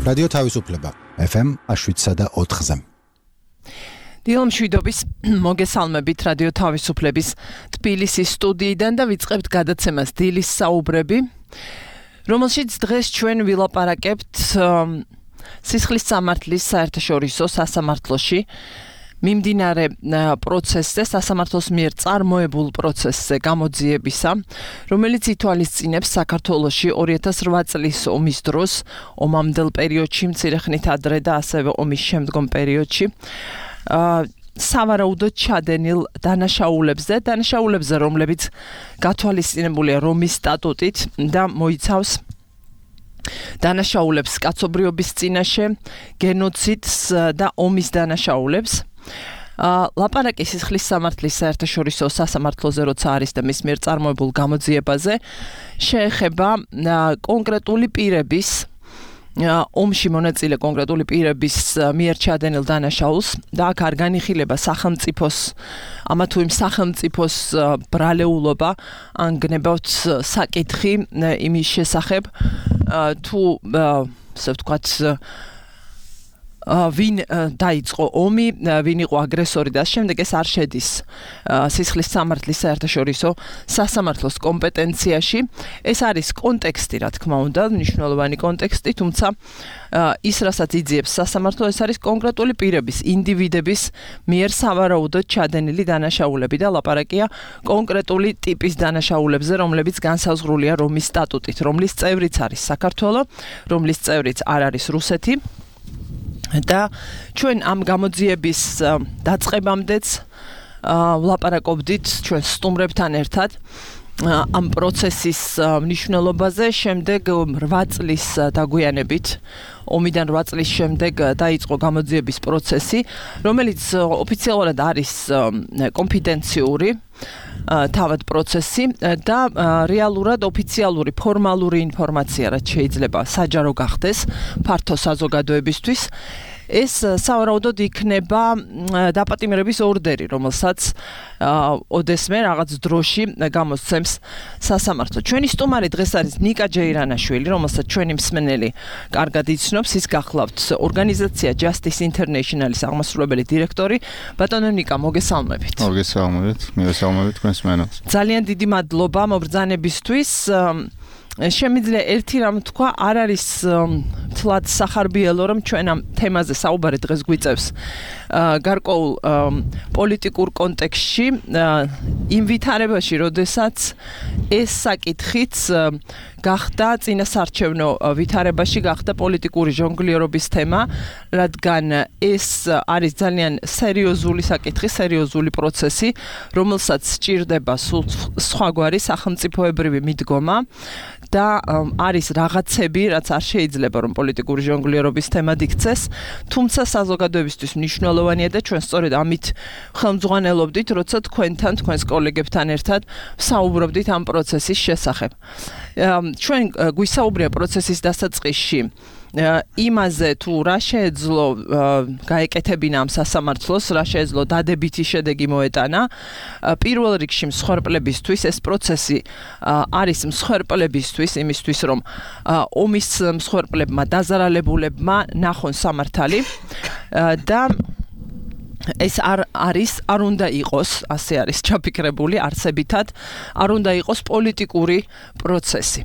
რადიო თავისუფლება FM 7.4-ზე. დილო მშვიდობის მოგესალმებით რადიო თავისუფლების თბილისის სტუდიიდან და ვიწყებთ გადაცემას დილის საუბრები, რომელშიც დღეს ჩვენ ვილაპარაკებთ სისხლის სამართლის საერთაშორისო სასამართლოში მიმდინარე პროცესზე, სასამართლოს მიერ წარმოებულ პროცესზე გამოძიებისა, რომელიც ითვალისწინებს საქართველოში 2008 წლის ომის დროს, ომამდელ პერიოდში, მცირე ხნით ადრე და ასევე ომის შემდგომ პერიოდში, სავარაუდოდ ჩადენილ დანაშაულებზე, რომლებიც გათვალისწინებულია რომის სტატუტით და მოიცავს დანაშაულებს კაცობრიობის წინაშე, გენოციდს და ომის დანაშაულებს. ლაპარაკი სისხლის სამართლის საერთაშორისო სასამართლოზე, როცა არის და მის მიერ წარმოებულ გამოძიებაზე, შეეხება კონკრეტული პირების ომში მონაწილე კონკრეტული პირების მიერ ჩადენილ დანაშაულს და აქ არ განიხილება სახელმწიფოს, ამა თუ იმ სახელმწიფოს ბრალეულობა, ან გნებავთ საკითხი იმის შესახებ, თუ ასე ვთქვათ, ვინ დაიწყო ომი, ვინ იყო აგრესორი და შემდეგ ეს არ შედის სისხლის სამართლის საერთაშორისო სასამართლოს კომპეტენციაში. ეს არის კონტექსტი, რა თქმა უნდა, მნიშვნელოვანი კონტექსტი, თუმცა ის, რასაც იძიებს სასამართლო, ეს არის კონკრეტული პირების, ინდივიდების მიერ სავარაუდოდ ჩადენილი დანაშაულები და ლაპარაკია კონკრეტული ტიპის დანაშაულებზე, რომლებიც განსაზღვრულია რომის სტატუტით, რომლის წევრიც არის საქართველო, რომლის წევრიც არ არის რუსეთი. და ჩვენ ამ გამოძიების დაწყებამდეც ვლაპარაკობდით ჩვენ სტუმრებთან ერთად ამ პროცესის მნიშვნელობაზე. შემდეგ 8 წლის დაგვიანებით, ომიდან 8 წლის შემდეგ დაიწყო გამოძიების პროცესი, რომელიც ოფიციალურად არის კონფიდენციური თავად პროცესი და რეალურად ოფიციალური ფორმალური ინფორმაცია, რაც შეიძლება საჯარო გახდეს ფართო საზოგადოებისთვის. ეს სავარაუდოდ იქნება დაპატიმრების ორდერი, რომელსაც ოდესმე რაღაც დროში გამოსცემს სასამართლო. ჩვენი სტუმარი დღეს არის ნიკა ჯეირანაშვილი, რომელსაც ჩვენი მსმენელი კარგად იცნობს. ის გახლავთ ორგანიზაცია Justice International-ის აღმასრულებელი დირექტორი. ბატონო ნიკა, მოგესალმებით. მოგესალმებით, მივესალმებით თქვენს მსმენელს. ძალიან დიდი მადლობა მობრძანებისთვის. შემიძლია ერთი რამ თქვა, არ არის თლად სახარბიელო, რომ ჩვენ ამ თემაზე საუბარი დღეს გვიწევს გარკვეულ პოლიტიკურ კონტექსტში, იმ ვითარებაში, როდესაც ეს საკითხიც გახდა წინასარჩევნო ვითარებაში, გახდა პოლიტიკური ჟონგლირობის თემა, რადგან ეს არის ძალიან სერიოზული საკითხი, სერიოზული პროცესი, რომელსაც სჭირდება სულ სხვაგვარი სახელმწიფოებრივი მიდგომა და არის რაღაცები, რაც არ შეიძლება რომ პოლიტიკური ჟონგლირობის თემად იქცეს, თუმცა საზოგადოებისთვის მნიშვნელოვანია და ჩვენ სწორედ ამით ხელმძღვანელობდით, როცა თქვენთან, თქვენს კოლეგებთან ერთად საუბრობდით ამ პროცესის შესახებ. ჩვენ გვისაუბრია პროცესის დასაწყისში იმაზე, თუ რა შეეძლო გაეკეთებინა ამ სასამართლოს, რა შეეძლო დადებითი შედეგი მოეტანა. პირველ რიგში მსხვერპლებისთვის ეს პროცესი არის მსხვერპლებისთვის, იმისთვის რომ ომის მსხვერპლებმა, დაზარალებულებმა ნახონ სამართალი და ეს არ უნდა იყოს, ასე არის ჩაფიქრებული არსებითად, არ უნდა იყოს პოლიტიკური პროცესი.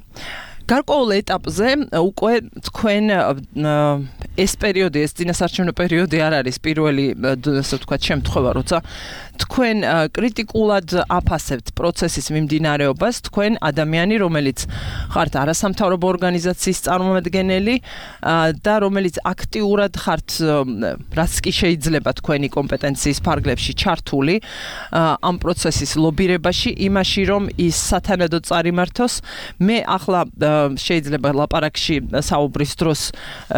გარკვეულ ეტაპზე უკვე თქვენ ეს პერიოდი, ეს წინასარჩევნო პერიოდი არ არის პირველი, ასე ვთქვათ, შემთხვევა, როცა თქვენ კრიტიკულად აფასებთ პროცესის მიმდინარეობას, თქვენ ადამიანი, რომელიც ხართ არასამთავრობო ორგანიზაციის წარმომადგენელი და რომელიც აქტიურად ხართ, რაც კი შეიძლება თქვენი კომპეტენციის ფარგლებში ჩართული ამ პროცესის ლობირებაში, იმაში, რომ ის სათანადოდ წარიმართოს. მე ახლა შეიძლება ლაპარაკში საუბრის დროს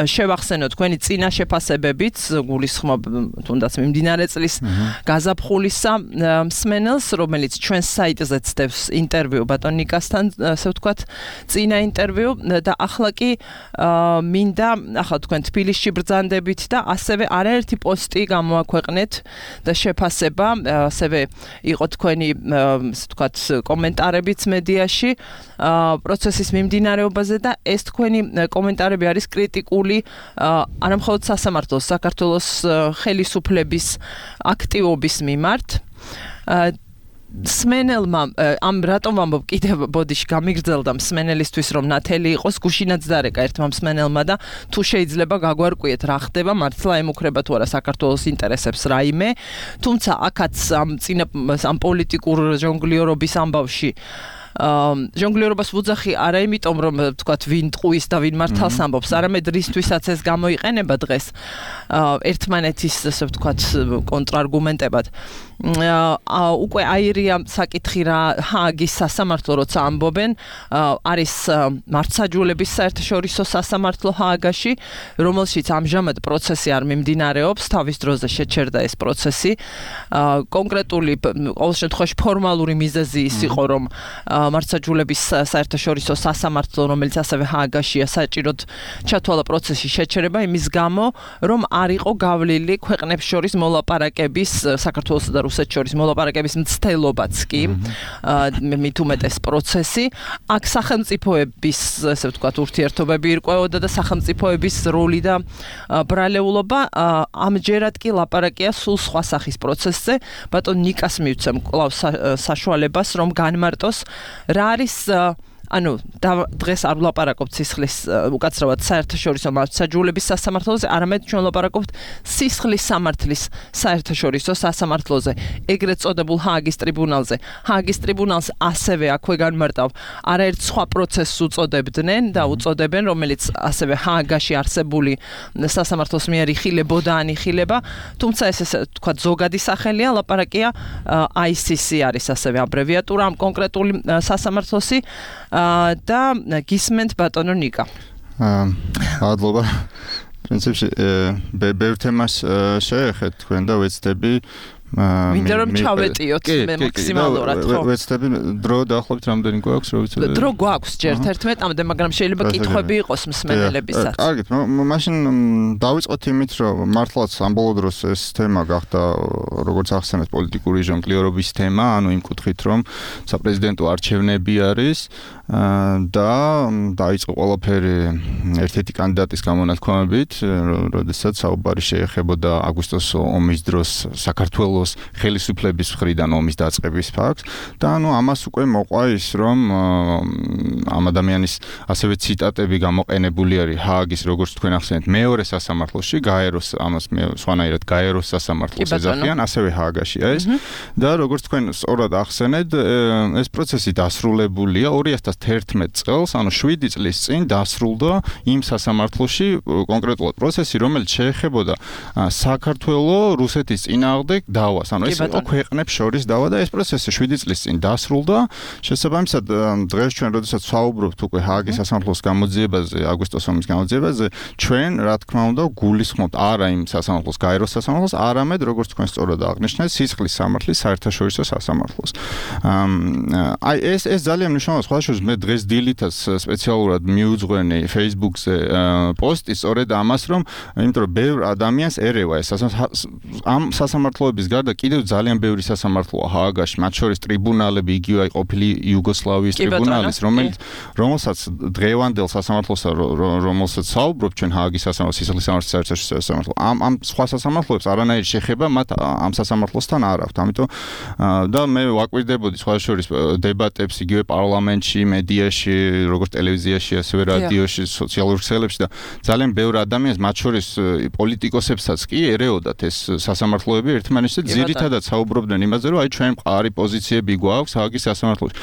შევახსენო თქვენი წინა შეფასებებით, გულისხმობ თუნდაც მიმდინარე წლის გაზაფხულისა მსმენელს, რომელიც ჩვენს საიტზე ცდებს ინტერვიუ ბატონ ნიკასთან, ასე ვთქვათ, წინა ინტერვიუ და ახლა კი მინდა ახლა თქვენ თბილისში ბრძანდებით და ასევე არაერთი პოსტი გამოაქვეყნეთ და შეფასება, ასევე იყო თქვენი, ასე ვთქვათ, კომენტარებიც მედიაში პროცესის მიმდინარე მიმდინარეობაზე და ეს თქვენი კომენტარები არის კრიტიკული არა მხოლოდ სასამართლოს, საქართველოს ხელისუფლების აქტივობის მიმართ. სმენელმა ამ რატომ ვამბობ კიდევ ბოდიში გამიგრძელდა მსმენელისთვის რომ ნათელი იყოს გუშინაც დარეკა ერთმა მსმენელმა და თუ შეიძლება გაგვარკვიეთ რა ხდება მართლა ემუქრება თუ არა საქართველოს ინტერესებს რაიმე თუმცა აქაც ამ პოლიტიკურ ჟონგლიორობის ამბავში ჟონგლიორობას ვუძახი არა იმიტომ რომ თქვათ ვინ ტყუის და ვინ მართალს ამბობს არამედ რისთვისაც ეს გამოიყენება დღეს ერთმანეთის ასე ვთქვათ კონტრარგუმენტებად უკვე აირია საკითხი რა ჰააგის სასამართლო როცა ამბობენ არის მართლმსაჯულების საერთაშორისო სასამართლო ჰააგაში რომელშიც ამჟამად პროცესი არ მიმდინარეობს თავის დროზე შეჩერდა ეს პროცესი კონკრეტული ყოველ შემთხვევაში ფორმალური მიზეზი ის იყო რომ მართლმსაჯულების საერთაშორისო სასამართლო რომელიც ასევე ჰააგაშია საჭიროდ ჩათვალა პროცესში შეჩერება იმის გამო რომ არ იყო გავლილი ქვეყნებს შორის მოლაპარაკების საქართველოსა და რუსეთს შორის მოლაპარაკების მცდელობაც კი მით უმეტეს პროცესი აქ სახელმწიფოების ასე ვთქვათ ურთიერთობები ირკვეოდა და სახელმწიფოების როლი და ბრალეულობა ამჯერად კი ლაპარაკია სულ სხვა სახის პროცესზე ბატონ ნიკას მივცემ კვლავ საშუალებას რომ განმარტოს რა არის ანუ დღეს არ ვლაპარაკობთ სისხლის უკაცრავად საერთაშორისო მართლმსაჯულების სასამართლოზე, არამედ ჩვენ ვლაპარაკობთ სისხლის სამართლის საერთაშორისო სასამართლოზე, ეგრეთ წოდებულ ჰააგის ტრიბუნალზე. ჰააგის ტრიბუნალს ასევე აქვე განმარტავ, არაერთ სხვა პროცესს უწოდებდნენ და უწოდებენ, რომელიც ასევე ჰააგაში არსებული სასამართლოს მიერ იხილებოდა ან იხილება, თუმცა ეს თქვა ზოგადი სახელია, ლაპარაკია ICC არის ასევე აბრევიატურა ამ კონკრეტული სასამართლოსი და გისმენთ ბატონო ნიკა. მადლობა. პრინციპში ბევრ თემას შეეხეთ თქვენ და ვეცდები მინდა რომ ჩავეტიოთ მე მაქსიმალურად ხო ვეცდები დრო დაახლოებით რამდენი გვაქვს რო ვიცოდე დრო გვაქვს ჯერ 11-მდე მაგრამ შეიძლება კითხვები იყოს მსმენელებისაც კარგით მაშინ დავიწყოთ იმით რომ მართლაც ამ ბოლო დროს ეს თემა გახდა როგორც ახსენეთ პოლიტიკური ჟონგლიორობის თემა ანუ იმ კუთხით რომ საპრეზიდენტო არჩევნები არის და დაიწყო ყველაფერი ერთ-ერთი კანდიდატის გამონათქვამებით როდესაც საუბარი შეეხებოდა აგვისტოს ომის დროს საქართველოს ხელისუფლების მხრიდან ომის დაწყების ფაქტს და ანუ ამას უკვე მოყვა ის რომ ამ ადამიანის ასევე ციტატები გამოყენებული არის ჰააგის როგორც თქვენ ახსენეთ მეორე სასამართლოში გაეროს ამას სხვანაირად გაეროს სასამართლოს ეძახიან ასევე ჰააგაშია ეს და როგორც თქვენ სწორად ახსენეთ ეს პროცესი დასრულებულია 2011 წელს ანუ 7 წლის წინ დასრულდა იმ სასამართლოში კონკრეტულად პროცესი რომელიც შეეხებოდა საქართველოს რუსეთის წინააღმდეგ დავას ანუ ეს ქვეყნებს შორის დავა და ეს პროცესი 7 წლის წინ დასრულდა შესაბამისად დღეს ჩვენ როდესაც ვსაუბრობთ უკვე ჰააგის სასამართლოს გამოძიებაზე აგვისტოს ომის გამოძიებაზე ჩვენ რა თქმა უნდა გულისხმობთ არა იმ სასამართლოს გაეროს სასამართლოს არამედ როგორც თქვენ სწორად აღნიშნეთ სისხლის სამართლის საერთაშორისო სასამართლოს აი ეს ძალიან მნიშვნელოვანია სხვადასხვა მე დღეს დილითაც სპეციალურად მიუძღვენი Facebook-ზე პოსტი სწორედ ამას რომ იმიტომ რომ ბევრ ადამიანს ერევა ეს ამ სასამართლოების გარდა კიდევ ძალიან ბევრი სასამართლოა ჰააგაში მათ შორის ტრიბუნალები იგივე აი ყოფილი იუგოსლავიის ტრიბუნალის რომელსაც დღევანდელ სასამართლოსა რომელსაც საუბრობ ჩვენ ჰააგის სასამართლოს სისხლის სამართლის საერთაშორისო სასამართლო ამ სხვა სასამართლოებს არანაირი შეხება მათ ამ სასამართლოსთან არ აქვთ ამიტომ და მე ვაკვირდებოდი სხვა შორის დებატებს იგივე პარლამენტში მედიაში როგორც ტელევიზიაში ასევე რადიოში სოციალურ ქსელებში და ძალიან ბევრ ადამიანს მათ შორის პოლიტიკოსებსაც კი ერეოდათ ეს სასამართლოები ერთმანეთში ძირითადად საუბრობდნენ იმაზე რომ აი ჩვენ მყარი პოზიციები გვაქვს ჰააგის სასამართლოში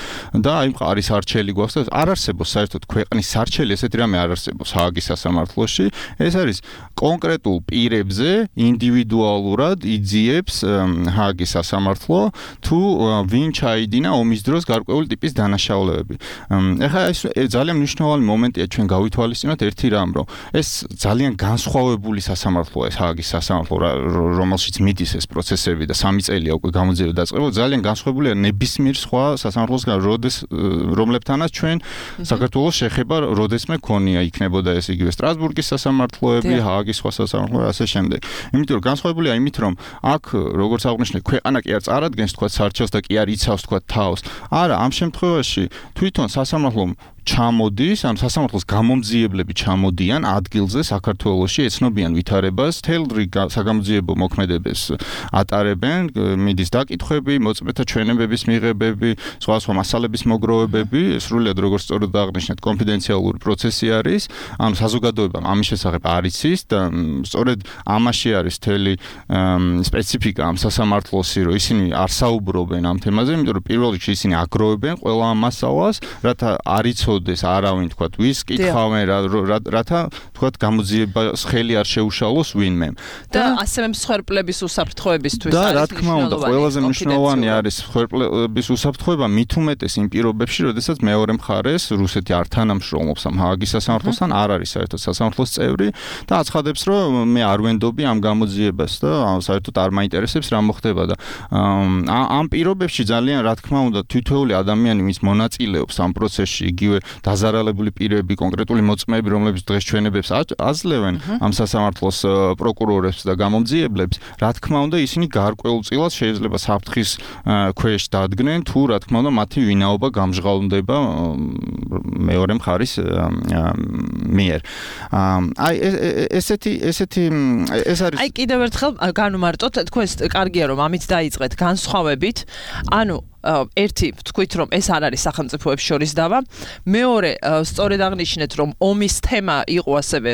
და აი მყარი სარჩელი გვაქვს და არ არსებობს საერთოდ ქვეყნის სარჩელი ესეთი რამე არ არსებობს ჰააგის სასამართლოში ეს არის კონკრეტულ პირებზე ინდივიდუალურად იძიებს ჰააგის სასამართლო თუ ვინ ჩაიდინა ომის დროს გარკვეული ტიპის დანაშაულებები ეხლა ეს ძალიან მნიშვნელოვანი მომენტია ჩვენ გავითვალისწინოთ ერთი რამ რომ ეს ძალიან განსხვავებული სასამართლოა ეს ჰააგის სასამართლო რომელშიც მიდის ეს პროცესები და 3 წელია უკვე გამოძიება დაწყება ძალიან განსხვავებულია ნებისმიერ სხვა სასამართლოსგან რომლებთანაც ჩვენ საქართველოს შეხება როდესმე ქონია იქნებოდა ეს იგივე სტრასბურგის სასამართლოები ჰააგის სხვა სასამართლოები ასე შემდეგ იმიტომ რომ განსხვავებულია იმით რომ აქ როგორც აღნიშნე ქვეყანა კი არ წარადგენს თქვა სარჩელს და კი არ იცავს თქვა თავს არა ამ შემთხვევაში თვითონ სასამართლომ ჩამოდის, ანუ სასამართლოს გამომძიებლები ჩამოდიან ადგილზე საქართველოში, ეცნობიან ვითარებას, თელ რიგ საგამოძიებო მოქმედებას ატარებენ, მიდის დაკითხვები, მოწმეთა ჩვენებების მიღებები, სხვა მასალების მოგროვებები, სრულიად როგორც სწორად აღნიშნეთ, კონფიდენციალური პროცესი არის, ანუ საზოგადოებამ ამის შესახებ არ იცის და სწორედ ამაში არის თელი სპეციფიკა ამ სასამართლოსი, რომ ისინი არ საუბრობენ ამ თემაზე, იმიტომ რომ პირველ რიგში ისინი აგროვებენ ყველა ამ მასალას, რათა არ იცოდეს არავინ, თქვათ, ვის კითხავენ, რათა, თქვათ, გამოძიებას ხელი არ შეუშალოს ვინმე. და ასევე მსხვერპლების უსაფრთხოებისთვის და რა თქმა უნდა, ყველაზე მნიშვნელოვანი არის მსხვერპლების უსაფრთხოება მით უმეტეს იმ პირობებში, როდესაც მეორე მხარეს რუსეთი არ თანამშრომლობს ამ ჰააგის სასამართლოსთან, არ არის საერთოდ სასამართლოს წევრი და აცხადებს, რომ მე არ ვენდობი ამ გამოძიებას და საერთოდ არ მაინტერესებს რა მოხდება და ამ პირობებში ძალიან რა თქმა უნდა თითოეული ადამიანი ვინც მონაწილეობს ამ პროცესში, იგივე დაზარალებული პირები, კონკრეტული მოწმეები, რომლებიც დღეს ჩვენებებს აძლევენ ამ სასამართლოს პროკურორებს და გამომძიებლებს, რა თქმა უნდა ისინი გარკვეულწილად შეიძლება საფრთხის ქვეშ დადგნენ, თუ რა თქმა უნდა მათი ვინაობა გამჟღავნდება მეორე მხარის მიერ. აი ესეთი ეს არის აი კიდევ ერთხელ განუმარტოთ, თქვენ კარგია რომ ამით დაიწყეთ განსხვავებით, ანუ ერთი თქვით რომ ეს არ არის სახელმწიფოებს შორის დავა, მეორე სწორედ აღნიშნეთ რომ ომის თემა იყო ასევე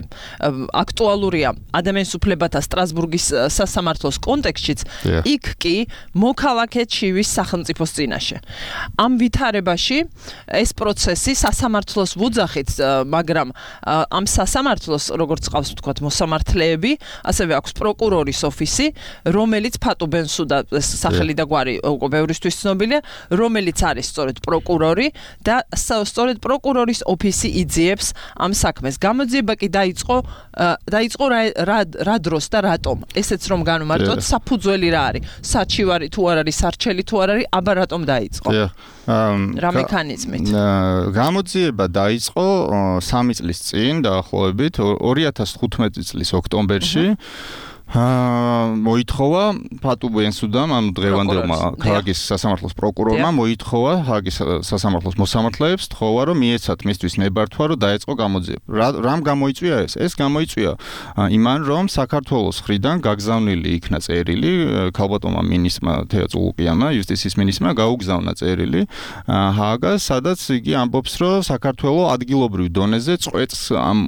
აქტუალურია ადამიანის უფლებათა სტრასბურგის სასამართლოს კონტექსტშიც, იქ კი მოქალაქე ჩივის სახელმწიფოს წინაშე. ამ ვითარებაში ეს პროცესი სასამართლოს ვუძახით, მაგრამ ამ სასამართლოს როგორც ყავს ვთქვათ მოსამართლეები, ასევე აქვს პროკურორის ოფისი, რომელიც ფატუ ბენსუდა სახელი და გვარი უკვე ბევრისთვის ცნობილია, რომელიც არის სწორედ პროკურორი და სწორედ პროკურორის ოფისი იძიებს ამ საქმეს. გამოძიება კი დაიწყო რა დროს და რატომ? ესეც რომ განვმარტოთ, საფუძველი რა არის? საჩივარი თუ არ არის, სარჩელი თუ არ არის, აბა რატომ დაიწყო? რა მექანიზმით? გამოძიება დაიწყო 3 წლის წინ დაახლოებით 2015 წლის ოქტომბერში. მოითხოვა ფატუ ბენსუდამ, ანუ დღევანდელმა ჰააგის სასამართლოს პროკურორმა მოითხოვა ჰააგის სასამართლოს მოსამართლეებს, თხოვა რომ მიეცათ მისთვის ნებართვა, რომ დაეწყო გამოძიება. რამ გამოიწვია ეს? ეს გამოიწვია იმან, რომ საქართველოს მხრიდან გაგზავნილი იქნა წერილი ქალბატონმა მინისტრმა თეა წულუკიანმა, იუსტიციის მინისტრმა გაუგზავნა წერილი ჰააგას, სადაც იგი ამბობს, რომ საქართველოს ადგილობრივ დონეზე წყვეტს ამ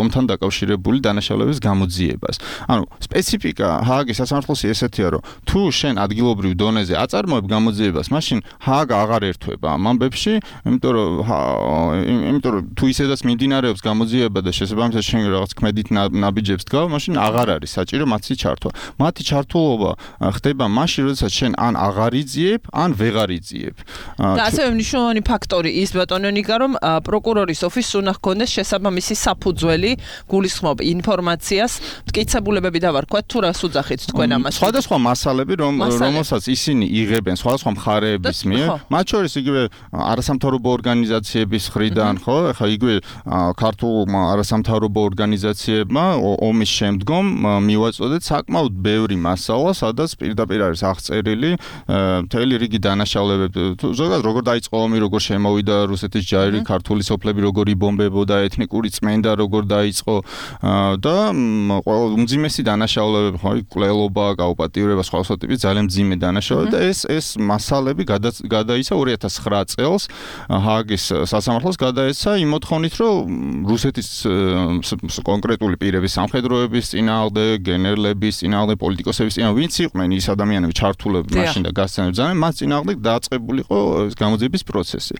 ომთან დაკავშირებული დანაშაულების გამოძიებას. ანუ სპეციფიკა ჰააგის სასამართლოსი ესეთია, რომ თუ შენ ადგილობრივ დონეზე აწარმოებ გამოძიებას, მაშინ ჰააგა აღარ ერთვება ამ ამბებში, იმიტომ რომ თუ ისედაც მიმდინარეობს გამოძიება და შესაბამისად შენ რაღაც ქმედით ნაბიჯებს დგავ, მაშინ აღარ არის საჭირო მათი ჩართვა. მათი ჩართულობა ხდება მაშინ, როდესაც შენ ან აღარ იძიებ, ან ვეღარ იძიებ. და ასევე მნიშვნელოვანი ფაქტორი ის ბატონო ნიკა, რომ პროკურორის ოფისს უნდა ჰქონდეს შესაბამისი საფუძველი, გულისხმობ ინფორმაციას, მტკიცებულებები და ვარქვათ, თუ რას უძახით თქვენ ამას? სხვადასხვა მასალები, რომელსაც ისინი იღებენ სხვადასხვა მხარეების მიერ, მათ შორის იგივე არასამთავრობო ორგანიზაციების მხრიდან, ხო? ეხლა იგივე ქართულმა არასამთავრობო ორგანიზაციებმა ომის შემდგომ მივაწოდეთ საკმაოდ ბევრი მასალა, სადაც პირდაპირ არის აღწერილი მთელი რიგი დანაშაულებები. ზოგადად როგორ დაიწყო ომი, როგორ შემოვიდა რუსეთის ჯარი, ქართული სოფლები როგორ იბომბებოდა, ეთნიკური წმენდა როგორ დაიწყო და უმძიმესი დანაშაულებები, ხო, კვლელობა, გაუპატიურება, სხვა ტიპის ძალიან მძიმე დანაშაულებები და ეს მასალები გადაიცა 2009 წელს ჰააგის სასამართლოს გადაეცა იმ მოთხოვნით, რომ რუსეთის კონკრეტული პირების სამხედროების წინააღმდეგ, გენერლების წინააღმდეგ, პოლიტიკოსების წინააღმდეგ, ვინც იყვნენ ის ადამიანები ჩართულები მაშინ და გასცემდნენ ძალიან, მას წინააღმდეგ დააწყებულიყო გამოძიების პროცესი.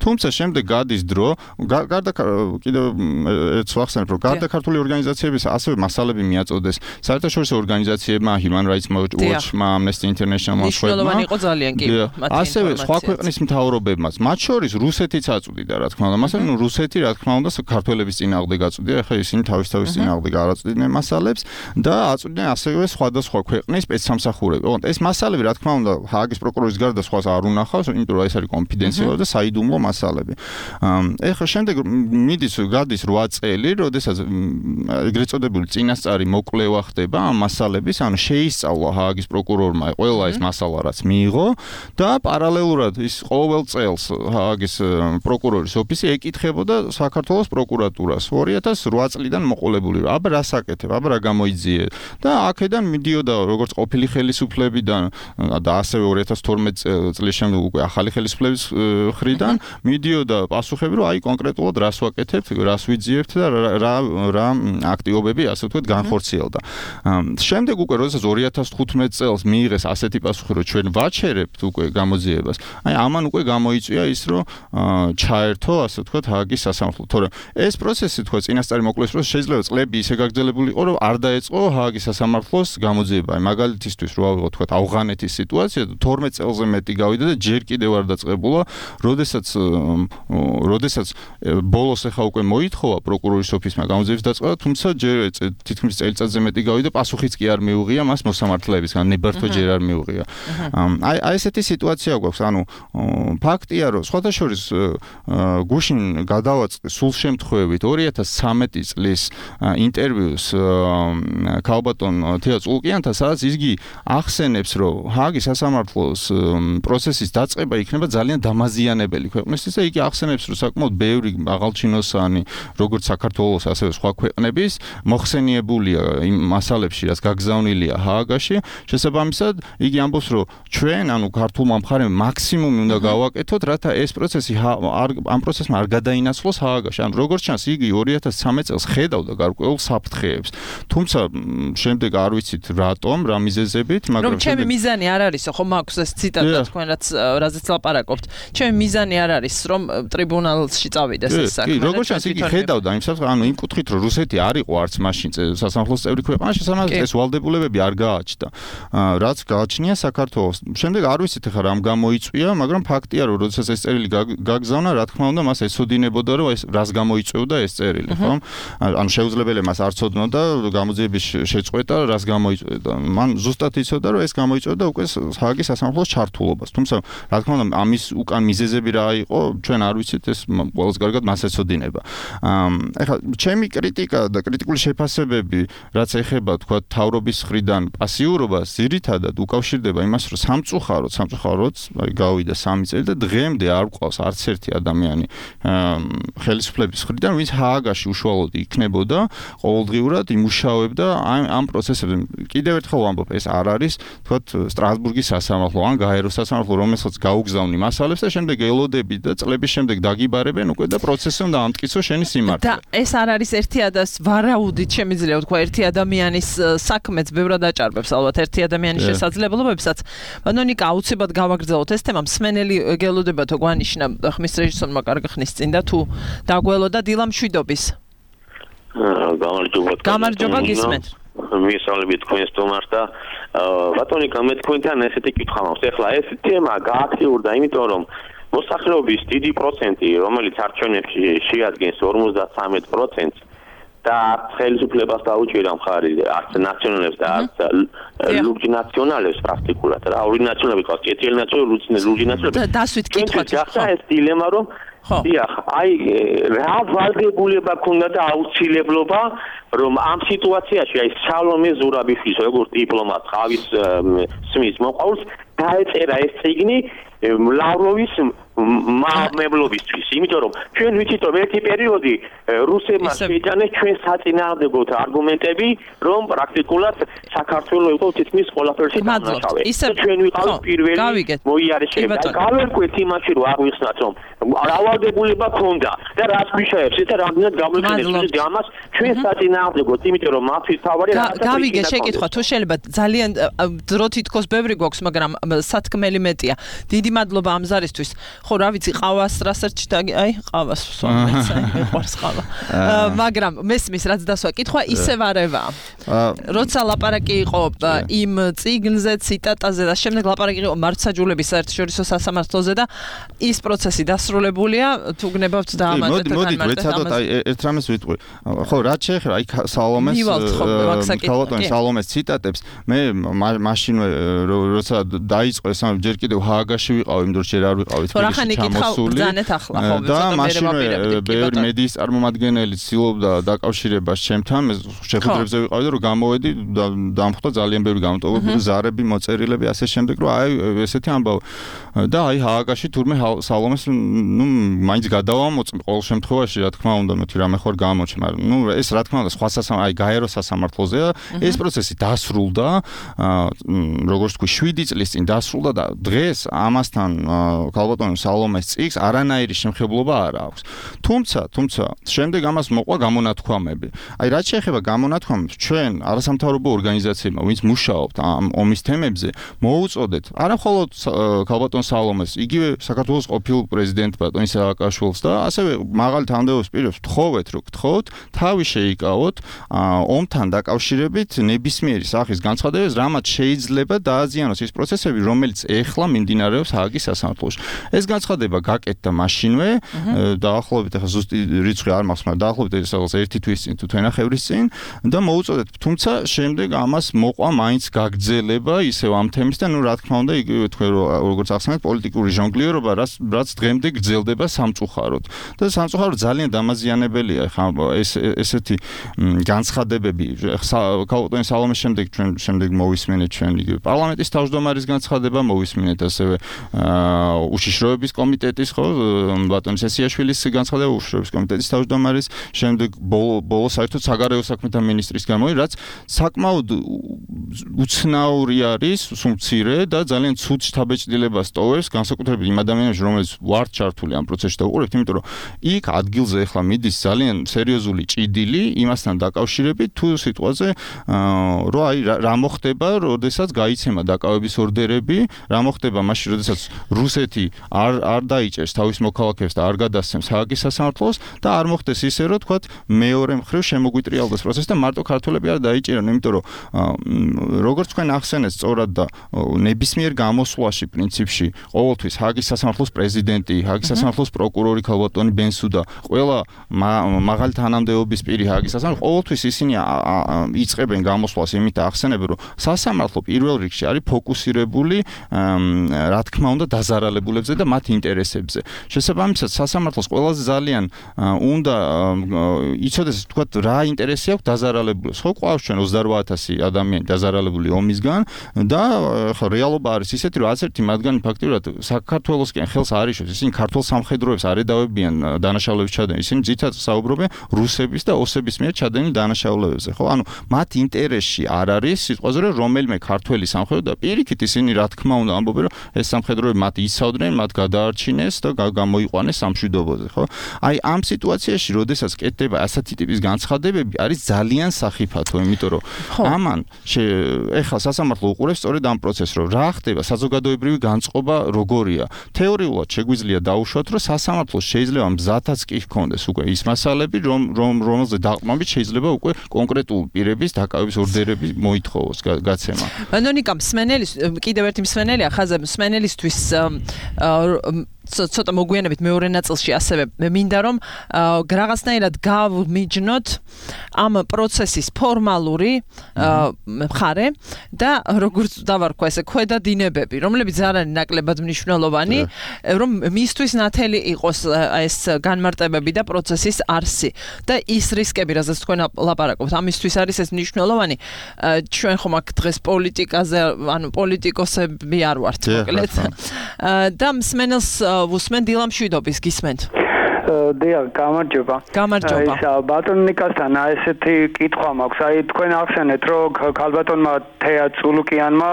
თუმცა შემდეგ გადის დრო, გარდა კიდევ ერთს ვახსენებ, რომ გარდა ქართული ორგანიზაციების ასევე მასალები მიაწოდეს საერთაშორისო ორგანიზაციებმა, Human Rights Watch-მა, Amnesty International-მა, მნიშვნელოვანი იყო ძალიან კი მათი ასევე სხვა ქვეყნის მთავრობებმაც, მათ შორის რუსეთიც აწვდიდა, რა თქმა უნდა. მასალები, რუსეთი, რა თქმა უნდა, ქართველების წინააღმდეგ აწვდიდა, ახლა ისინი თავის წინააღმდეგ არ აწვდიდნენ მასალებს და აწვდიდნენ ასევე სხვადასხვა ქვეყნის სპეცსამსახურები. ოღონდ ეს მასალები, რა თქმა უნდა, ჰააგის პროკურორის გარდა სხვას არ უნახავს, იმიტომ რომ ეს არის კონფიდენციალური და საიდუმლო მასალები. ეხლა შემდეგ გადის 8 წელი, როდესაც ეგრეთ წოდებული წინასწარი მოკვლევა ხდება ამ მასალების, ანუ შეისწავლა ჰააგის პროკურორმა ყველა ეს მასალა რაც მიიღო და პარალელურად ის ყოველ წელს ჰააგის პროკურორის ოფისი ეკითხებოდა საქართველოს პროკურატურას 2008 წლიდან მოყოლებული. აბა რა საკეთებ, აბა რა გამოიძიე და აქედან მიდიოდა როგორც ყოფილი ხელისუფლებიდან და ასევე 2012 წლის შემდეგ უკვე ახალი ხელისუფლების ხრიდან მიდიოდა პასუხები, რომ აი კონკრეტულად რას ვაკეთებთ, რას ვიძიებთ და რა აქტივობები ასე ვთქვათ განხორციელდა. შემდეგ უკვე როდესაც 2015 წელს მიიღეს ასეთი პასუხი, რომ ჩვენ ვაჩერებთ უკვე გამოძიებას. აი ამან უკვე გამოიწვია ის, რომ ჩაერთო ასე ვთქვათ ჰააგის სასამართლო. თორემ ეს პროცესი თქვა წინასწარი მოკლეს პროცესი შეიძლება წლები ისე გაგრძელებული იყო, რომ არ დაეწყო ჰააგის სასამართლოს გამოძიება. აი მაგალითისთვის რო ავიღოთ თქვა ავღანეთის სიტუაცია 12 წელზე მეტი გავიდა და ჯერ კიდევ არ დაწყებულა, როდესაც ბოლოს ახლა უკვე მოითხოვა პროკურორის ოფისმა გამოძიების დაწყება, თუმცა ჯერ თითქმის წელიწადზე მეტი გავიდა, პასუხიც კი არ მიუღია მას მოსამართლეებისგან, ნებართვა ჯერ არ მიუღია. აი ესეთი სიტუაცია გვაქვს, ანუ ფაქტია, რომ სხვათა შორის გუშინ გადავაწყდი სულ შემთხვევით 2013 წლის ინტერვიუს ქალბატონ თეა წულკიანთან, სადაც იგი ახსენებს, რომ ჰააგის სასამართლოს პროცესის დაწყება იქნება ძალიან დამაზიანებელი ქვეყნისთვის და იგი ახსენებს, რომ საკმაოდ ბევრი აღალჩინოსანი, როგორც საქართველოს, ასევე სხვა ქვეყნების მოხსენიებულია იმ მასალებში, რაც გაგზავნილია ჰააგაში. შესაბამისად, იგი ამბობს, რომ ჩვენ, ანუ ქართულმა მხარემ მაქსიმუმი უნდა გავაკეთოთ, რათა ეს პროცესი ამ პროცესმა არ გადაინაცვლოს ჰააგაში. ანუ როგორც ჩანს, იგი 2013 წელს ხედავდა გარკვეულ საფრთხეებს. თუმცა შემდეგ არ ვიცით რატომ, რა მიზეზებით, მაგრამ რომ ჩემი მიზანი არ არისო, ხო მაქვს ეს ციტატა თქვენ რაზეც ლაპარაკობთ. ჩემი მიზანი არ არის, რომ ტრიბუნალში წავიდეს ეს საქმე. კი, როგორც ჩანს, იგი ხედავდა იმ საფრთხეს, ანუ იმ კუთხით, რომ რუსეთი არ იყო არც მაშინ სასამართლოს წევრი ქვეყანა, შესაბამისად ეს ვალდებულებები არ გააჩნდა. რაც გააჩნია საქართველოს. შემდეგ არ ვიცით ახლა რამ გამოიწვია, მაგრამ ფაქტია, რომ როდესაც ეს წერილი გაგზავნა, რა თქმა უნდა, მას ეცოდინებოდა, რომ ეს რას გამოიწვევდა ეს წერილი, ხო? ანუ შეუძლებელია მას არ ცოდნოდა გამოძიების შეწყვეტა, რას გამოიწვევდა. მან ზუსტად იცოდა, რომ ეს გამოიწვევდა უკვე ჰააგის სასამართლოს ჩართულობას. თუმცა, რა თქმა უნდა, ამის უკან მიზეზები რა იყო, ჩვენ არ ვიცით, ეს ყველას კარგად მას ეცოდინება. ეხლა ჩემი კრიტიკა და კრიტიკული შეფასებები, რაც ეხება, თქვა, თავრობის მხრიდან პასიურობას, ძირითადად უკავშირდება იმას, რომ სამწუხაროდ, აი გავიდა 3 წელი და დღემდე არ გვყავს არც ერთი ადამიანი ხელისუფლების მხრიდან, ვინც ჰააგაში უშუალოდ იქნებოდა, ყოველდღიურად იმუშავებდა ამ პროცესებზე. კიდევ ერთხელ ვამბობ, ეს არ არის, თქვა, სტრასბურგის სასამართლო ან გაეროს სასამართლო, რომელსაც გაუგზავნი მასალებს და შემდეგ ელოდები და წლების შემდეგ დაგიბარებენ უკვე და პროცესი უნდა ამტკიცო შენი სიმართლე. და ეს არ არის ერთი ვარაუდით შემიძლია ვთქვა ერთი ადამიანის საქმეც ბევრად აჭარბებს ალბათ ერთი ადამიანის შესაძლებლობებსაც. ბანონიკა აუცილებლად გავაგრძელოთ ეს თემა, მსმენელი გელოდებათო გვანიშნა ხმის რეჟისორმა კარგი ხნის წინ და თუ დაგველოდა დილა მშვიდობის. გამარჯობა გისმენთ. მისალები თქვენ სტუმარს და ბატონიკა მე თქვენთან ესეთი კითხვა მაქვს. ეხლა ეს თემა გააქტიურდა, იმიტომ რომ მოსახლეობის დიდი პროცენტი, რომელიც არჩევნებში შეადგენს 53%, და ხელისუფლებას დაუჭირა მხარი არც ნაციონალებს და არც ლურჯ ნაციონალებს პრაქტიკულად რა ორი ნაციონალები ყავს კეთილი ნაციონალი ლურჯ ნაციონალები დასვით კითხვა ეს დილემა რომ დიახ აი რა ვალდებულება ქონდა და აუცილებლობა რომ ამ სიტუაციაში აი სალომე ზურაბიშვილის როგორც დიპლომატ ხავის სმის მოყავს დაეწერა ეს წიგნი ლავროვის მამებლობისთვის, იმიტომ რომ ჩვენ ვიცით რომ ერთი პერიოდი რუსებმა შეიტანეს ჩვენ საწინააღმდეგო არგუმენტები, რომ პრაქტიკულად საქართველოს იყო თითქმის ყველაფერში დამნაშავე. ჩვენ ვიყავით პირველი მოიარეს და გავერკვეთ იმაში რომ აღვიხსნათ რომ რავალდებულება ქონდა და რას გვიშაებს და რამდენად გამოიყენებს ამას ჩვენ საწინააღმდეგოდ, იმიტომ რომ მათთვის თავარი გავიგე შეკითხვა თუ შეიძლება ძალიან დრო თითქოს ბევრი გვაქვს, მაგრამ სათქმელი მეტია. დიდი მადლობა ამ ზარისთვის. ხო რა ვიცი ყავას რასაც აი ყავას ვსვამეთ მეყვარს ყავა მაგრამ მესმის რაც დასვა კითხვა ისევ არევაა როცა ლაპარაკი იყო იმ წიგნზე ციტატაზე და შემდეგ ლაპარაკი იყო მართლმსაჯულების საერთაშორისო სასამართლოზე და ის პროცესი დასრულებულია თუ გნებავთ და ამატეთ მოდით ვეცადოთ აი ერთ რამეს ვიტყვი ხო რაც შეეხება აი სალომეს ქალბატონის სალომეს ციტატებს მე მაშინვე როცა დაიწყო ეს ჯერ კიდევ ჰააგაში ვიყავ იმ დროს ჯერ არ ვიყავით ბრძანეთ ახლა ხო და მაშინვე ბევრი მედიის წარმომადგენელი ცდილობდა დაკავშირებას ჩემთან, შეხვედრებზე ვიყავი და რომ გამოვედი დამხვდა ძალიან ბევრი გამოტოვებული ზარები, მოწერილები, ასე შემდეგ, რომ აი ესეთი ამბავი. და აი ჰააგაში თურმე სალომეს მაინც გადავამოწმ ყოველ შემთხვევაში, რა თქმა უნდა, მეთქი რამე ხარ გამოჩ, მაგრამ ეს რა თქმა უნდა სხვა აი გაეროს სასამართლოზეა, ეს პროცესი დასრულდა, როგორც თქვი 7 წლის წინ დასრულდა და დღეს ამასთან ქალბატონი სალომეს წიგს არანაირი შემხებლობა არ აქვს. თუმცა შემდეგ ამას მოყვა გამონათქვამები. აი რაც შეეხება გამონათქვამებს, ჩვენ არასამთავრობო ორგანიზაციებმა, ვინც მუშაობთ ამ ომის თემებზე, მოუწოდეთ არამხოლოდ ქალბატონ სალომეს, იგივე საქართველოს ყოფილ პრეზიდენტ ბატონ სააკაშვილს და ასევე მაღალი თანამდებობის პირებს ვთხოვეთ, რომ გთხოვთ, თავი შეიკავოთ ომთან დაკავშირებით ნებისმიერი სახის განცხადებებს, რამაც შეიძლება დააზიანოს ის პროცესები, რომელიც ეხლა მიმდინარეობს ჰააგის სასამართლოში. ეს განცხადება გაკეთდა მაშინვე, დაახლოებით ახლა ზუსტი რიცხვი არ მაქვს, მაგრამ დაახლოებით ეს ერთი თვის წინ თუ თვენახევრის წინ და მოუწოდეთ, თუმცა შემდეგ ამას მოყვა მაინც გაგრძელება ისევ ამ თემის და რა თქმა უნდა იგივე თქვენ როგორც ახსენეთ პოლიტიკური ჟონგლიერობა, რაც დღემდე გრძელდება სამწუხაროდ. და სამწუხაროდ ძალიან დამაზიანებელია ხა ესეთი განცხადებები. ქალბატონი სალომეს შემდეგ მოვისმენეთ ჩვენ იგივე პარლამენტის თავმჯდომარის განცხადება, მოვისმენეთ ასევე უშიშროების კომიტეტის ხო ბატონ სესიაშვილის განცხადება, უშიშროების კომიტეტის თავმჯდომარის, შემდეგ ბოლო საერთოდ საგარეო საქმეთა მინისტრის გამოი, რაც საკმაოდ უცნაური არის, სუმცირე და ძალიან ცუდ შთაბეჭდილებას ტოვებს, განსაკუთრებით იმ ადამიანებს, რომლებიც ვართ ჩართული ამ პროცესში და უყურებთ, იმიტომ რომ იქ ადგილზე ახლა მიდის ძალიან სერიოზული ჭიდილი იმასთან დაკავშირებით თუ სიტყვაზე, რომ აი რა მოხდება, როდესაც გაიცემა დაკავების ორდერები, რა მოხდება მაშინ, როდესაც რუსეთი არ დაიჭერს თავის მოქალაქეებს და არ გადასცემს ჰააგის სასამართლოს და არ მოხდეს ისე, რომ თქვათ მეორე მხრივ შემოგვიტრიალდეს პროცესი და მარტო ქართველები არ დაიჭერენ, იმიტომ რომ როგორც თქვენ ახსენეთ სწორად და ნებისმიერ გამოსვლაში პრინციპში ყოველთვის ჰააგის სასამართლოს პრეზიდენტი, ჰააგის სასამართლოს პროკურორი ქალბატონი ბენსუდა, ყველა მაღალი თანამდებობის პირი ჰააგის სასამართლოს ყოველთვის ისინი იწყებენ გამოსვლას იმით ახსენებენ, რომ სასამართლო პირველ რიგში არის ფოკუსირებული რა თქმა უნდა დაზარალებულებზე და მათ ინტერესებზე. შესაბამისად სასამართლოს ყველაზე ძალიან უნდა იცოდეს თქვათ რა ინტერესი აქვს დაზარალებულებს. ხო ყავს ჩვენ 28000 ადამიანი დაზარალებული ომისგან და ხო რეალობა არის ისეთი, რომ ასერთი მათგანი ფაქტიურად საქართველოსკენ ხელს არ იშოვს, ისინი ქართულ სამხედროებს არ ედავებიან დანაშაულების ჩადენილ, ისინი ძირითადად საუბრობენ რუსების და ოსების მიერ ჩადენილ დანაშაულებებზე. ხო, ანუ მათ ინტერესში არ არის სიტყვაზე, რომ რომელიმე ქართველი სამხედრო და პირიქით ისინი რა თქმა უნდა ამბობენ, რომ ეს სამხედროები მათ იცავდნენ, მათ გადაარჩინეს და გამოიყვანეს სამშვიდობოზე, ხო? აი ამ სიტუაციაში, როდესაც კეთდება ასეთი ტიპის განცხადებები, არის ძალიან სახიფათო, იმიტომ რომ ამან ეხლა სასამართლო უყურებს სწორედ ამ პროცესს, რომ რა ხდება, საზოგადოებრივი განწყობა როგორია. თეორიულად შეგვიძლია დაუშვათ, რომ სასამართლოს შეიძლება მზათაც კი ჰქონდეს უკვე ის მასალები, რომელზე დაყრდნობით შეიძლება უკვე კონკრეტულ პირების დაკავების ორდერები მოითხოვოს გაცემა. ნონიკა მსმენელის კიდევ ერთი მსმენელია ხაზე მსმენელისთვის ცოტა მოგვიანებით მეორე ნაწილში ასევე მინდა რომ რაღაცნაირად გავმიჯნოთ ამ პროცესის ფორმალური მხარე და როგორც დავარქვა ესე ქვედა დინებები, რომლებიც არ არის ნაკლებად მნიშვნელოვანი, რომ მისთვის ნათელი იყოს ეს განმარტებები და პროცესის არსი და ის რისკები, რასაც თქვენ ლაპარაკობთ, ამისთვის არის ეს მნიშვნელოვანი. ჩვენ ხომ აქ დღეს პოლიტიკაზე, ანუ პოლიტიკოსები არ ვართ, მოკლედ. და მსმენელს უსმენ დილა მშვიდობის გისმენთ. დიახ, გამარჯობა. გამარჯობა. ბატონ ნიკასთან ესეთი კითხვა მაქვს. აი თქვენ ახსენეთ, რომ ქალბატონმა თეა წულუკიანმა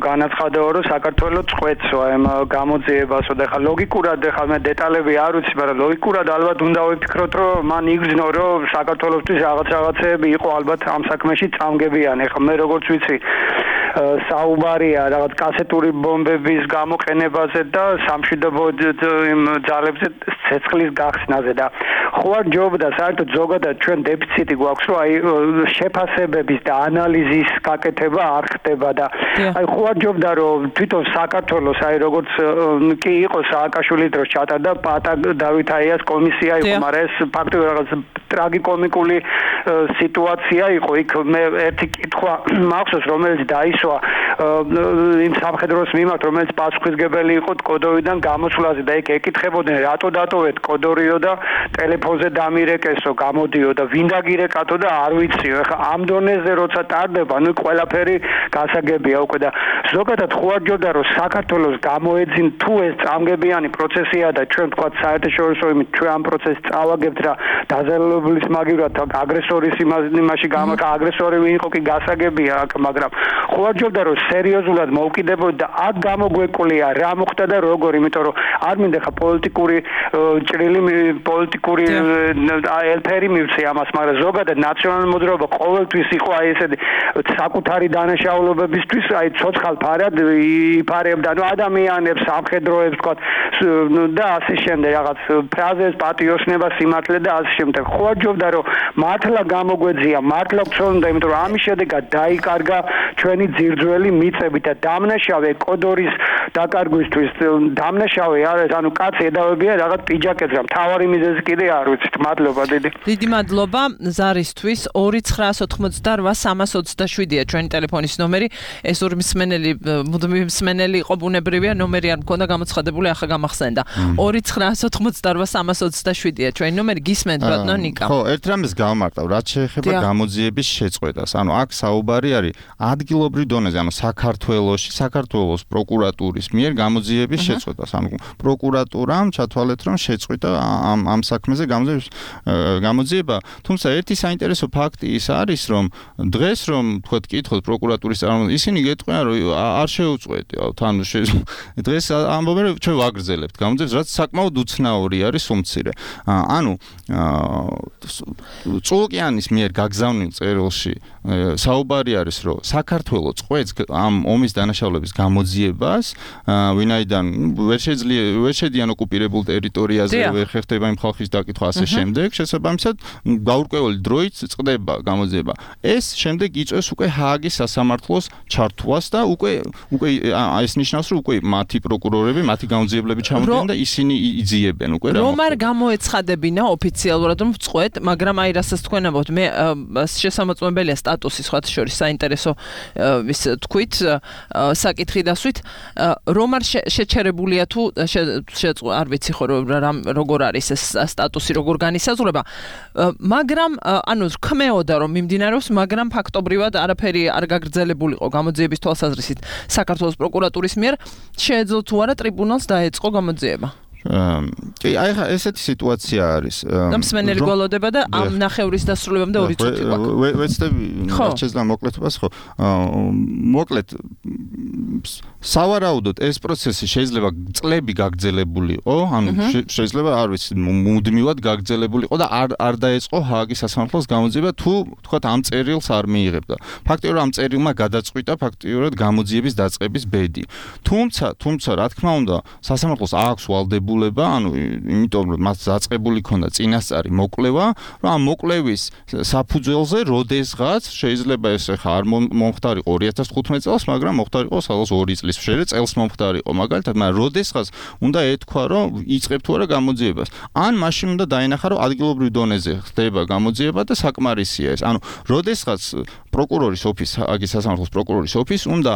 განაცხადა, რომ საქართველოს წყვეტს ამ გამოძიებასო და ხა ლოგიკურად ხა მე დეტალები არ ვიცი, მაგრამ ლოგიკურად ალბათ უნდა ვიფიქროთ, რომ მან იგრძნო, რომ საქართველოსთვის რაღაცეები იყო ალბათ ამ საქმეში წამგებიანი. ხა მე როგორც ვიცი საუბარია რაღაც კასეტური ბომბების გამოყენებაზე და სამშვიდობო იმ ძალებზე ცეცხლის გახსნაზე და ხო არ ჯობდა საერთოდ ზოგადად ჩვენ დეფიციტი გვაქვს, რომ აი შეფასებების და ანალიზის გაკეთება არ ხდება და აი ხო არ ჯობდა რომ თვითონ საქართველოს აი როგორც კი იყო სააკაშვილის დროს ჩატარდა პატა დავით აიას კომისია იყო, მაგრამ ეს ფაქტობრივად რაღაც ტრაგიკომიკული სიტუაცია იყო იქ. მე ერთი კითხვა მახსოვს, რომელიც დაისვა იმ სამხედროს მიმართ, რომელიც პასუხისმგებელი იყო კოდორიდან გამოსვლაზე და იქ ეკითხებოდნენ, რატო დატოვეთ კოდორიო და ტელეფონზე დამირეკესო, გამოდიო და ვინ დაგირეკათო და არ ვიციო. ეხლა ამ დონეზე როცა ტარდება, ნუ ყველაფერი გასაგებია უკვე და ზოგადად ხო არ გჯობდა რომ საქართველოს გამოეძინ თუ ეს წამგებიანი პროცესია და ჩვენ თქვა საერთაშორისო იმით ჩვენ ამ პროცესს წავაგებთ რა დაზიანებულის მაგივრად აგრესორის იმაში გამაკა აგრესორი ვინ იყო კი გასაგებია აქ მაგრამ ხო არ გჯობდა რომ სერიოზულად მოვკიდებოდ და აქ გამოგვეკვლია რა მოხდა და როგორ იმიტომ რომ არ მინდა ხა პოლიტიკური ჭრილი პოლიტიკური ელფერი მივცე ამას მაგრამ ზოგადად ნაციონალური მოძრაობა ყოველთვის იყო აი ესეთი საკუთარი დანაშაულებებისთვის აი ცოცხალ ფარად იფარებდა ნუ ადამიანებს სამხედროებს თქვა და ასე შემდეგ რაღაც ფრაზეს პატიოსნება სიმართლე და ასე შემდეგ ხო არ ჯობდა რომ მართლა გამოგვეძია მართლა გწონდა იმიტომ რომ ამის შედეგად დაიკარგა ჩვენი ძირძველი მიწები და დამნაშავე კოდორის დაკარგვისთვის დამნაშავე არის ანუ კაცი ედავებია რაღაც პიჯაკებს რა მთავარი მიზეზი კიდე არ ვიცით მადლობა დიდი მადლობა ზარისთვის 2988327-ია ჩვენი ტელეფონის ნომერი ეს ორი მსმენელი მუდმივი მსმენელი იყო ბუნებრივია ნომერი არ მქონდა გამოცხადებული ახლა გამახსენდა 2988327-ია ჩვენი ნომერი გისმენთ ბატონო ნიკა ხო ერთ რამეს გავმარტავ რაც შეეხება გამოძიების შეწყვეტას ანუ აქ საუბარი არის ადგილობრივ დონეზე ანუ საქართველოს პროკურატურის მიერ გამოძიების შეწყვეტას ანუ პროკურატურამ ჩათვალეთ რომ შეწყვიტა ამ საქმეზე გამოძიება თუმცა ერთი საინტერესო ფაქტი ის არის რომ დღეს რომ თქვათ კითხოთ პროკურატურის წარმომადგენლებს ისინი გეტყვიან რომ არ შეუწყვეტიათ ანუ დღეს ამბობენ რომ ჩვენ ვაგრძელებთ გამოძიებას რაც საკმაოდ უცნაური არის უმცირე ანუ წულკიანის მიერ გაგზავნილ წერილში საუბარი არის რომ საქართველოს წყვეტს ამ ომის დანაშაულების გამოძიებას ვინაიდან ვერ შედიან ოკუპირებულ ტერიტორიაზე ვერ ხერხდება იმ ხალხის დაკითხვა ასე შემდეგ შესაბამისად გაურკვეველი დროით წყდება გამოძიება ეს შემდეგ იწვევს უკვე ჰააგის სასამართლოს ჩართვას და უკვე ეს ნიშნავს რომ უკვე მათი პროკურორები მათი გამოძიებლები ჩამოდიან და ისინი იძიებენ უკვე რა რომ არ გამოეცხადებინა ოფიციალურად რომ წყვეტ მაგრამ აი რასაც თქვენ ამბობთ მე შესამოწმებელია სტატუსი სხვა შორის საინტერესო ის თქვით საკითხი დასვით რომ არ შეჩერებულია თუ არ ვიცი ხო როგორ არის ეს სტატუსი როგორ განისაზღვრება მაგრამ ანუ რქმეოდა რომ მიმდინარეობს მაგრამ ფაქტობრივად არაფერი არ გაგრძელებულიყო გამოძიების თვალსაზრისით საქართველოს პროკურატურის მიერ შეეძლო თუ არა ტრიბუნალს დაეწყო გამოძიება კი აი ხა ესეთი სიტუაცია არის და მსმენელი გველოდება და ამ ნახევრის დასრულებამდე 2 წუთი გვაქვს ვეცდები შეძლო მოკლედობას ხო მოკლედ სავარაუდოდ ეს პროცესი შეიძლება წლები გაგრძელებულიყო ანუ შეიძლება არ ვიცი მუდმივად გაგრძელებულიყო და არ დაეწყო ჰააგის სასამართლოს გამოძიება თუ თქვათ ამ წერილს არ მიიღებდა ფაქტიურად ამ წერილმა გადაწყვიტა ფაქტიურად გამოძიების დაწყების ბედი თუმცა რა თქმა უნდა სასამართლოს აქვს ვალდებულება ანუ იმიტომ რომ მას დაწყებული ქონდა წინასწარი მოკვლევა რომ ამ მოკვლევის საფუძველზე როდესღაც შეიძლება ეს ხა არ მომხდარიყო 2015 წელს მაგრამ მომხდარიყო სადღაც 2 წლის მშერე წელს მომხდარიყო მაგალითად მაგრამ როდესღაც უნდა ეთქვა რომ იწყებ თუ არა გამოძიებას ან მაშინ უნდა დაენახა რომ ადგილობრივ დონეზე ხდება გამოძიება და საკმარისია ეს ანუ როდესღაც პროკურორის ოფისს აგის სასამართლოს პროკურორის ოფისს უნდა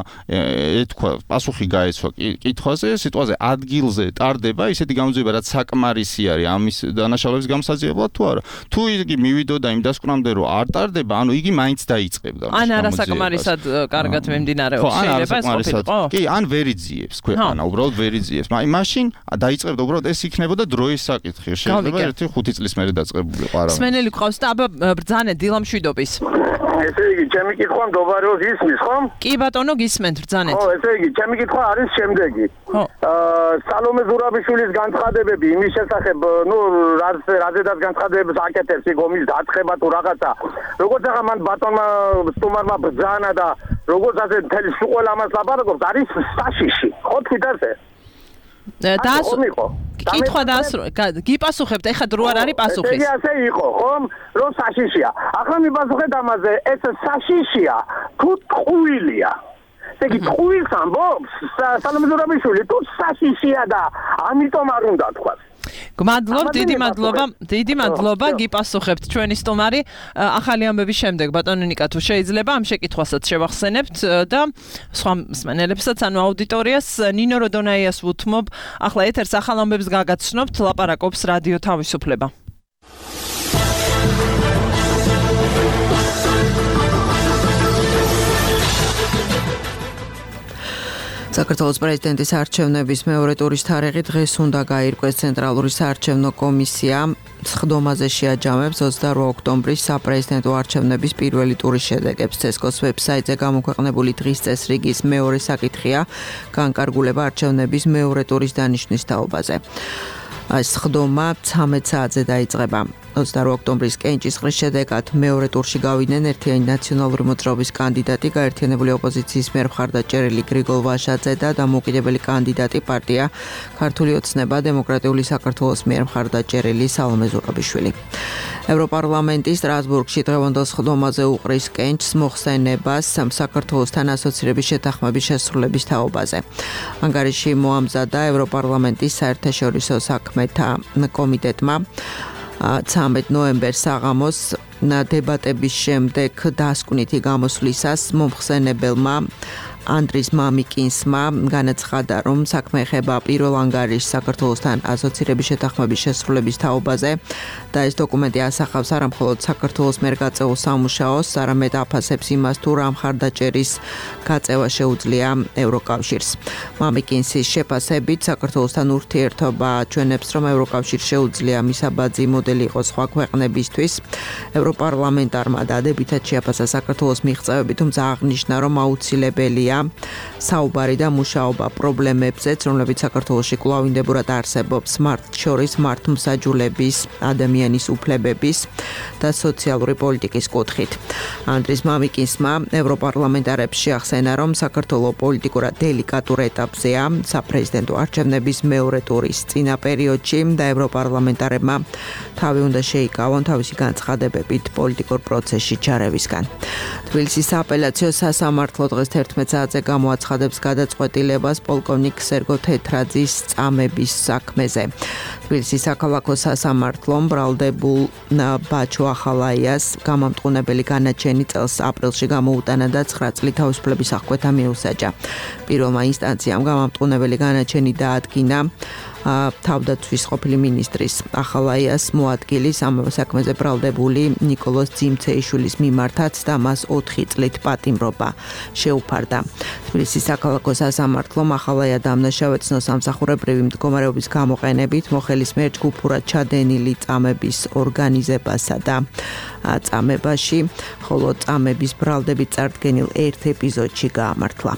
ეთქვა პასუხი გაეცვა კითხვაზე სიტუაციაზე ადგილზე ტარდება ისეთი გამოძიება რაც საკმარისი არის ამის დანაშაულების გამოსაძიებლად თუ არა თუ იგი მივიდოდა იმ დასკვნამდე რომ არ ტარდება ანუ იგი მაინც დაიწყებდა ან არასაკმარისად კარგად მიმდინარეობს შეიძლება ეს ყოფილიყო კი ან ვერ იძიებს ქვეყანა უბრალოდ ვერ იძიებს მაშინ დაიწყებდა უბრალოდ ეს იქნებოდა დროის საკითხი შეიძლება 1-5 წლის მერე დაწყებულიყო არა სმენელი ყავს და აბა ბრძანე დილამშვიდობის ესე იგი ჩემი კითხვა მდობარეως ისმის ხომ? კი ბატონო გისმენთ ბრძანეთ. ხო, ესე იგი ჩემი კითხვა არის შემდეგი. სალომე ზურაბიშვილის განცხადებები იმის შესახებ, ნუ რაზედაც განცხადებებს აკეთებს იქ ომის დაწყება თუ რაღაცა. როგორც ახლა მან ბატონმა სტუმარმა ბრძანა და როგორც ასე მთელი სულ ამას ლაპარაკობს, არის საშიში. ხო თქვით ასე? კითხვა დაასრულე. გიპასუხებთ, ეხლა დრო არ არის პასუხის. ესე ასე იყო, ხომ? რომ საშიშია. ახლა მიპასუხეთ ამაზე, ეს საშიშია თუ ტყუილია? ესე იგი ტყუილს ამბობს სალომე ზურაბიშვილი თუ საშიშია და ამიტომ არ უნდა თქვას. დიდი მადლობა გიპასუხებთ ჩვენი სტუმარი ახალი ამბების შემდეგ ბატონო ნიკა თუ შეიძლება ამ შეკითხვასაც შევახსენებთ და სხვა მსმენელებსაც ანუ აუდიტორიას ნინო როდონაიას ვუთმობ ახლა ეთერს ახალ ამბებს გაგაცნობთ ლაპარაკობს რადიო თავისუფლება საქართველოს პრეზიდენტის არჩევნების მეორე ტურის თარიღი დღეს უნდა გაირკვეს ცენტრალური საარჩევნო კომისია სხდომაზე შეაჯამებს 28 ოქტომბრის საპრეზიდენტო არჩევნების პირველი ტურის შედეგებს CSGO-ს ვებსაიტზე გამოქვეყნებული დღის წესრიგის მეორე საკითხია განკარგულება არჩევნების მეორე ტურის დანიშვნის თაობაზე. სხდომა 13 საათზე დაიწყება. 28 ოქტომბრის კენჭისყრის შედეგად მეორე ტურში გავიდნენ ერთიანი ნაციონალური მოძრაობის კანდიდატი, გაერთიანებული ოპოზიციის მიერ მხარდაჭერილი გრიგოლ ვაშაძე და დამოუკიდებელი კანდიდატი პარტია ქართული ოცნება დემოკრატიული საქართველოს მიერ მხარდაჭერილი სალომე ზურაბიშვილი. ევროპარლამენტის სტრასბურგში დღევანდელ სხდომაზე უყრის კენჭს მოხსენებას საქართველოსთან ასოცირების შეთანხმების შესრულების თაობაზე. ანგარიში მოამზადა ევროპარლამენტის საერთაშორისო საქმეთა კომიტეტმა 13 ნოემბერს საღამოს დებატების შემდეგ დასკვნითი გამოსვლისას მომხსენებელმა ანდრის მამიკინსმა განაცხადა, რომ საქმე ეხება პირველ ანგარიშს საქართველოსთან ასოცირების შეთანხმების შესრულების თაობაზე და ეს დოკუმენტი ასახავს არა მხოლოდ საქართველოს მიერ გაწეულ სამუშაოს, არამედ აფასებს იმას, თუ რა მხარდაჭერის გაწევა შეუძლია ევროკავშირს. მამიკინსის შეფასებით საქართველოსთან ურთიერთობა ჩვენებს, რომ ევროკავშირს შეუძლია მისაბაძი მოდელი იყოს სხვა ქვეყნებისთვის. ევროპარლამენტარმა დადებითად შეაფასა საქართველოს მიღწევები, თუმცა აღნიშნა, რომ აუცილებელია საუბარი და მუშაობა პრობლემებზეც, რომლებიც საქართველოში კვლავინდებურად არსებობს, მათ შორის მართლმსაჯულების, ადამიანის უფლებების და სოციალური პოლიტიკის კუთხით. ანდრის მამიკინსმა ევროპარლამენტარებს შეახსენა, რომ საქართველოს პოლიტიკურად დელიკატურ ეტაპზეა საპრეზიდენტო არჩევნების მეორე ტურის წინა პერიოდში და ევროპარლამენტარებმა თავი უნდა შეიკავონ თავისი განცხადებებით პოლიტიკურ პროცესში ჩარევისგან. თბილისის სააპელაციო სასამართლო დღეს 11 საათზე გამოაცხადებს გადაწყვეტილებას პოლკოვნიკ სერგო თეთრაძის წამების საქმეზე. თბილისის საქალაქო სასამართლომ ბრალდებულ ბაჩო ახალაიას გამამტყუნებელი განაჩენი წელს აპრილში გამოუტანა და 9 წლით თავისუფლების აღკვეთა მიუსაჯა. პირველმა ინსტანციამ გამამტყუნებელი განაჩენი დაადგინა თავდაცვის ყოფილი მინისტრის ახალაიას მოადგილის ამავე საქმეზე ბრალდებული ნიკოლოზ ძიმცეიშვილის მიმართაც და მას 4 წლით პატიმრობა შეუფარდა. თბილისის საქალაქო სასამართლომ ახალაია დამნაშავეცნო სამსახურებრივი მდგომარეობის გამოყენებით მოხელის მიერ ჯგუფურად ჩადენილი წამების ორგანიზებასა და წამებაში, ხოლო წამების ბრალდებით წარდგენილ ერთ ეპიზოდში გაამართლა.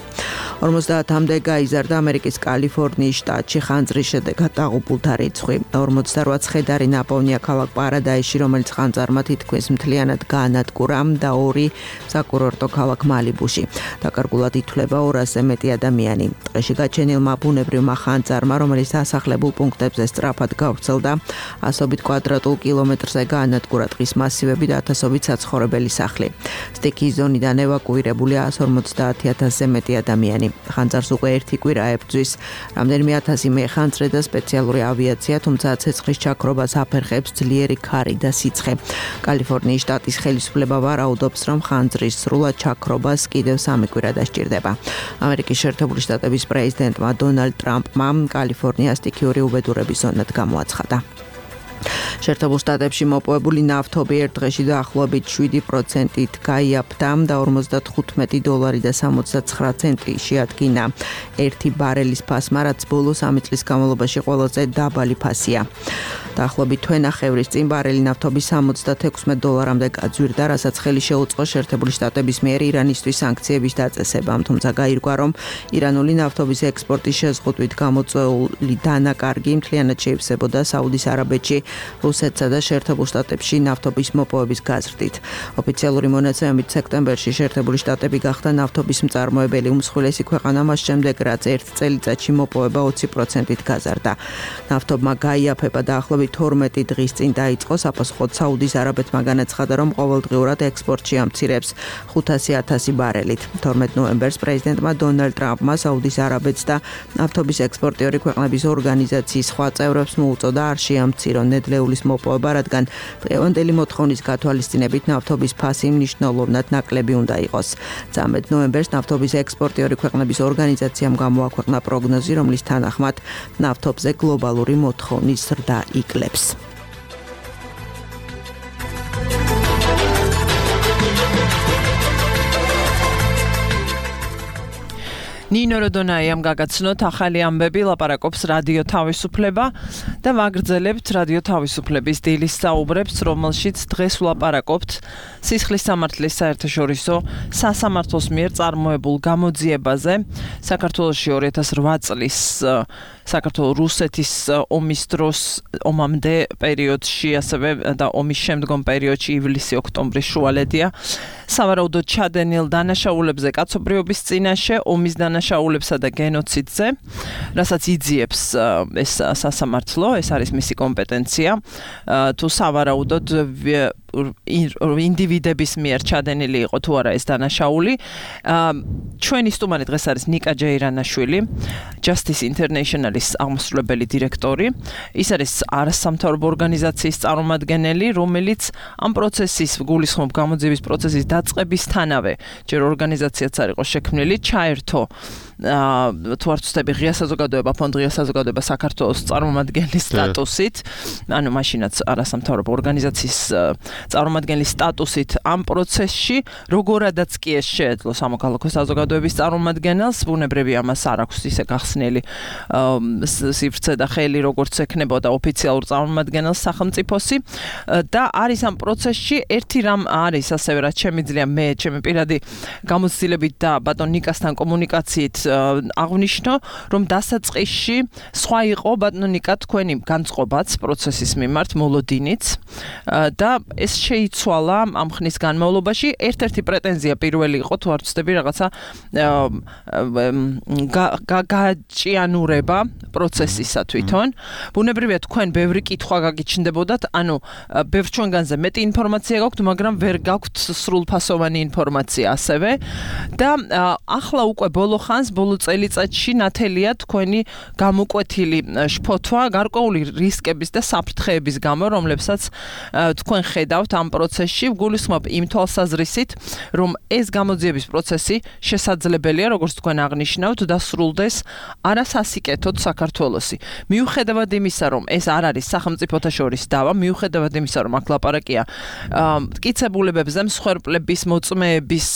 50-მდე გაიზარდა ამერიკის კალიფორნიის შტატში ხანძრის შედეგად დაღუპულთა რიცხვი. 48 ცხედარი ნაპოვნია ქალაქ პარადაისში, რომელიც ხანძარმა თითქმის მთლიანად გაანადგურა და 2 საკურორტო ქალაქ მალიბუში. დაკარგულად ითვლება 200-ზე მეტი ადამიანი. ტყეში გაჩენილმა ბუნებრივმა ხანძარმა, რომელიც დასახლებულ პუნქტებზე სწრაფად გავრცელდა, ასობით კვადრატულ კილომეტრზე გაანადგურა ტყის მასივები და ათასობით საცხოვრებელი სახლი. სტიქიის ზონიდან ევაკუირებული 150,000-ზე მეტი ადამიანი. ხანძარს უკვე ერთი კვირა ებრძვის, რამდენიმე 1000 მეხანძრე და სპეციალური ავიაცია, თუმცა ცეცხლის ჩაქრობას აფერხებს ძლიერი ქარი და სიცხე. კალიფორნიის შტატის ხელისუფლება ვარაუდობს, რომ ხანძრის სრულად ჩაქრობას კიდევ 3 კვირა დასჭირდება. ამერიკის შეერთებული შტატების პრეზიდენტმა დონალდ ტრამპმა კალიფორნიას სტიქიური უბედურების ზონად გამოაცხადა. შეერთებულ შტატებში მოპოვებული ნავთობი ერთ დღეში დაახლოებით 7%-ით გაიაფთა და $95.79 შეადგინა ერთი ბარელის ფასმა, რაც ბოლოს 3 წლის განმავლობაში ყველაზე დაბალი ფასია. დაახლოებით თვენახევრის წინ ბარელი ნავთობი $76-მდე გაძვირდა, რასაც ხელი შეუწყო შეერთებული შტატების მიერ ირანისთვის სანქციების დაწესებამ, თუმცა გაირკვა, რომ ირანული ნავთობის ექსპორტის შეზღუდვით გამოწვეული დანაკარგი მთლიანად შეივსებოდა საუდის არაბეთში რუსეთსა და შეერთებულ შტატებში ნავთობის მოპოვების გაზრდით. ოფიციალური მონაცემებით სექტემბერში შეერთებული შტატები გახდა ნავთობის მწარმოებელი უმსხვილესი ქვეყანა მას შემდეგ, რაც ერთ წელიწადში მოპოვება 20%-ით გაზარდა. ნავთობმა გაიაფება დაახლოებით 12 დღის წინ დაიწყო საპასუხოდ საუდის არაბეთმა განაცხადა, რომ ყოველდღიურად ექსპორტში ამცირებს 500,000 ბარელით. 12 ნოემბერს პრეზიდენტმა დონალდ ტრამპმა საუდის არაბეთს და ნავთობის ექსპორტიორი ქვეყნების ორგანიზაციის სხვა წევრებს მოუწოდა არ შეამცირონ ნედლეულის მოპოვება, რადგან დღევანდელი მოთხოვნის გათვალისწინებით ნავთობის ფასი მნიშვნელოვნად ნაკლები უნდა იყოს. 13 ნოემბერს ნავთობის ექსპორტიორი ქვეყნების ორგანიზაციამ გამოაქვეყნა პროგნოზი, რომლის თანახმად ნავთობზე გლობალური მოთხოვნის ზრდა იკლებს. ნინო როდონაიამ გაგაცნოთ ახალი ამბები, ლაპარაკობს რადიო თავისუფლება და ვაგრძელებთ რადიო თავისუფლების დილის საუბრებს, რომელშიც დღეს ვლაპარაკობთ სისხლის სამართლის საერთაშორისო სასამართლოს მიერ წარმოებულ გამოძიებაზე. საქართველოში 2008 წლის საქართველო-რუსეთის ომის დროს, ომამდე პერიოდში, ასევე და ომის შემდგომ პერიოდში ივლისი-ოქტომბრის შუალედია სავარაუდოდ ჩადენილ დანაშაულებებზე კაცობრიობის წინაშე, ომის დანაშაულებსა და გენოციდზე, რასაც იძიებს ეს სასამართლო, ეს არის მისი კომპეტენცია, თუ სავარაუდოდ ინდივიდების მიერ ჩადენილი იყო თუ არა ეს დანაშაული. ჩვენი სტუმარი დღეს არის ნიკა ჯეირანაშვილი, Justice International-ის აღმასრულებელი დირექტორი. ის არის არასამთავრობო ორგანიზაციის წარმომადგენელი, რომელიც ამ პროცესის, გულისხმობ გამოძიების პროცესის დაწყებისთანავე, ჯერ ორგანიზაციაც არ იყო შექმნილი, ჩაერთო თუ არ ვცდები ღია საზოგადოება, ფონდ ღია საზოგადოება საქართველოს წარმომადგენლის სტატუსით, ანუ მაშინაც არასამთავრობო ორგანიზაციის წარმომადგენლის სტატუსით ამ პროცესში, როგორადაც კი ეს შეეძლო სამოქალაქო საზოგადოების წარმომადგენელს, ბუნებრივი ამას არ აქვს ისე გახსნილი სივრცე და ხელი, როგორც ექნებოდა ოფიციალურ წარმომადგენელს სახელმწიფოსი და არის ამ პროცესში ერთი რამ არის, ასევე რაც შემიძლია მე ჩემი პირადი გამოცდილებით და ბატონ ნიკასთან კომუნიკაციით აღნიშნო, რომ დასაწყისში სხვა იყო ბატონ ნიკა თქვენი განწყობაც პროცესის მიმართ მოლოდინიც და ეს შეიცვალა ამ ხნის განმავლობაში. ერთ-ერთი პრეტენზია პირველი იყო, თუ არ ვცდები, რაღაცა გაჭიანურება პროცესისა თვითონ. ბუნებრივია თქვენ ბევრი კითხვა გაგიჩნდებოდათ, ანუ ბევრ ჩვენგანზე მეტი ინფორმაცია გაქვთ, მაგრამ ვერ გაქვთ სრულფასოვანი ინფორმაცია ასევე და ახლა უკვე ბოლო ხანს, ბოლო წელიწადში ნათელია თქვენი გამოკვეთილი შფოთვა გარკვეული რისკების და საფრთხეების გამო, რომლებსაც თქვენ ხედავთ ამ პროცესში, გულისხმობ იმ თვალსაზრისით, რომ ეს გამოძიების პროცესი შესაძლებელია, როგორც თქვენ აღნიშნავთ, დასრულდეს არასასიკეთოდ საქართველოსი. მიუხედავად იმისა, რომ ეს არ არის სახელმწიფოთა შორის დავა, მიუხედავად იმისა, რომ აქ ლაპარაკია მტკიცებულებებზე, მსხვერპლების მოწმეების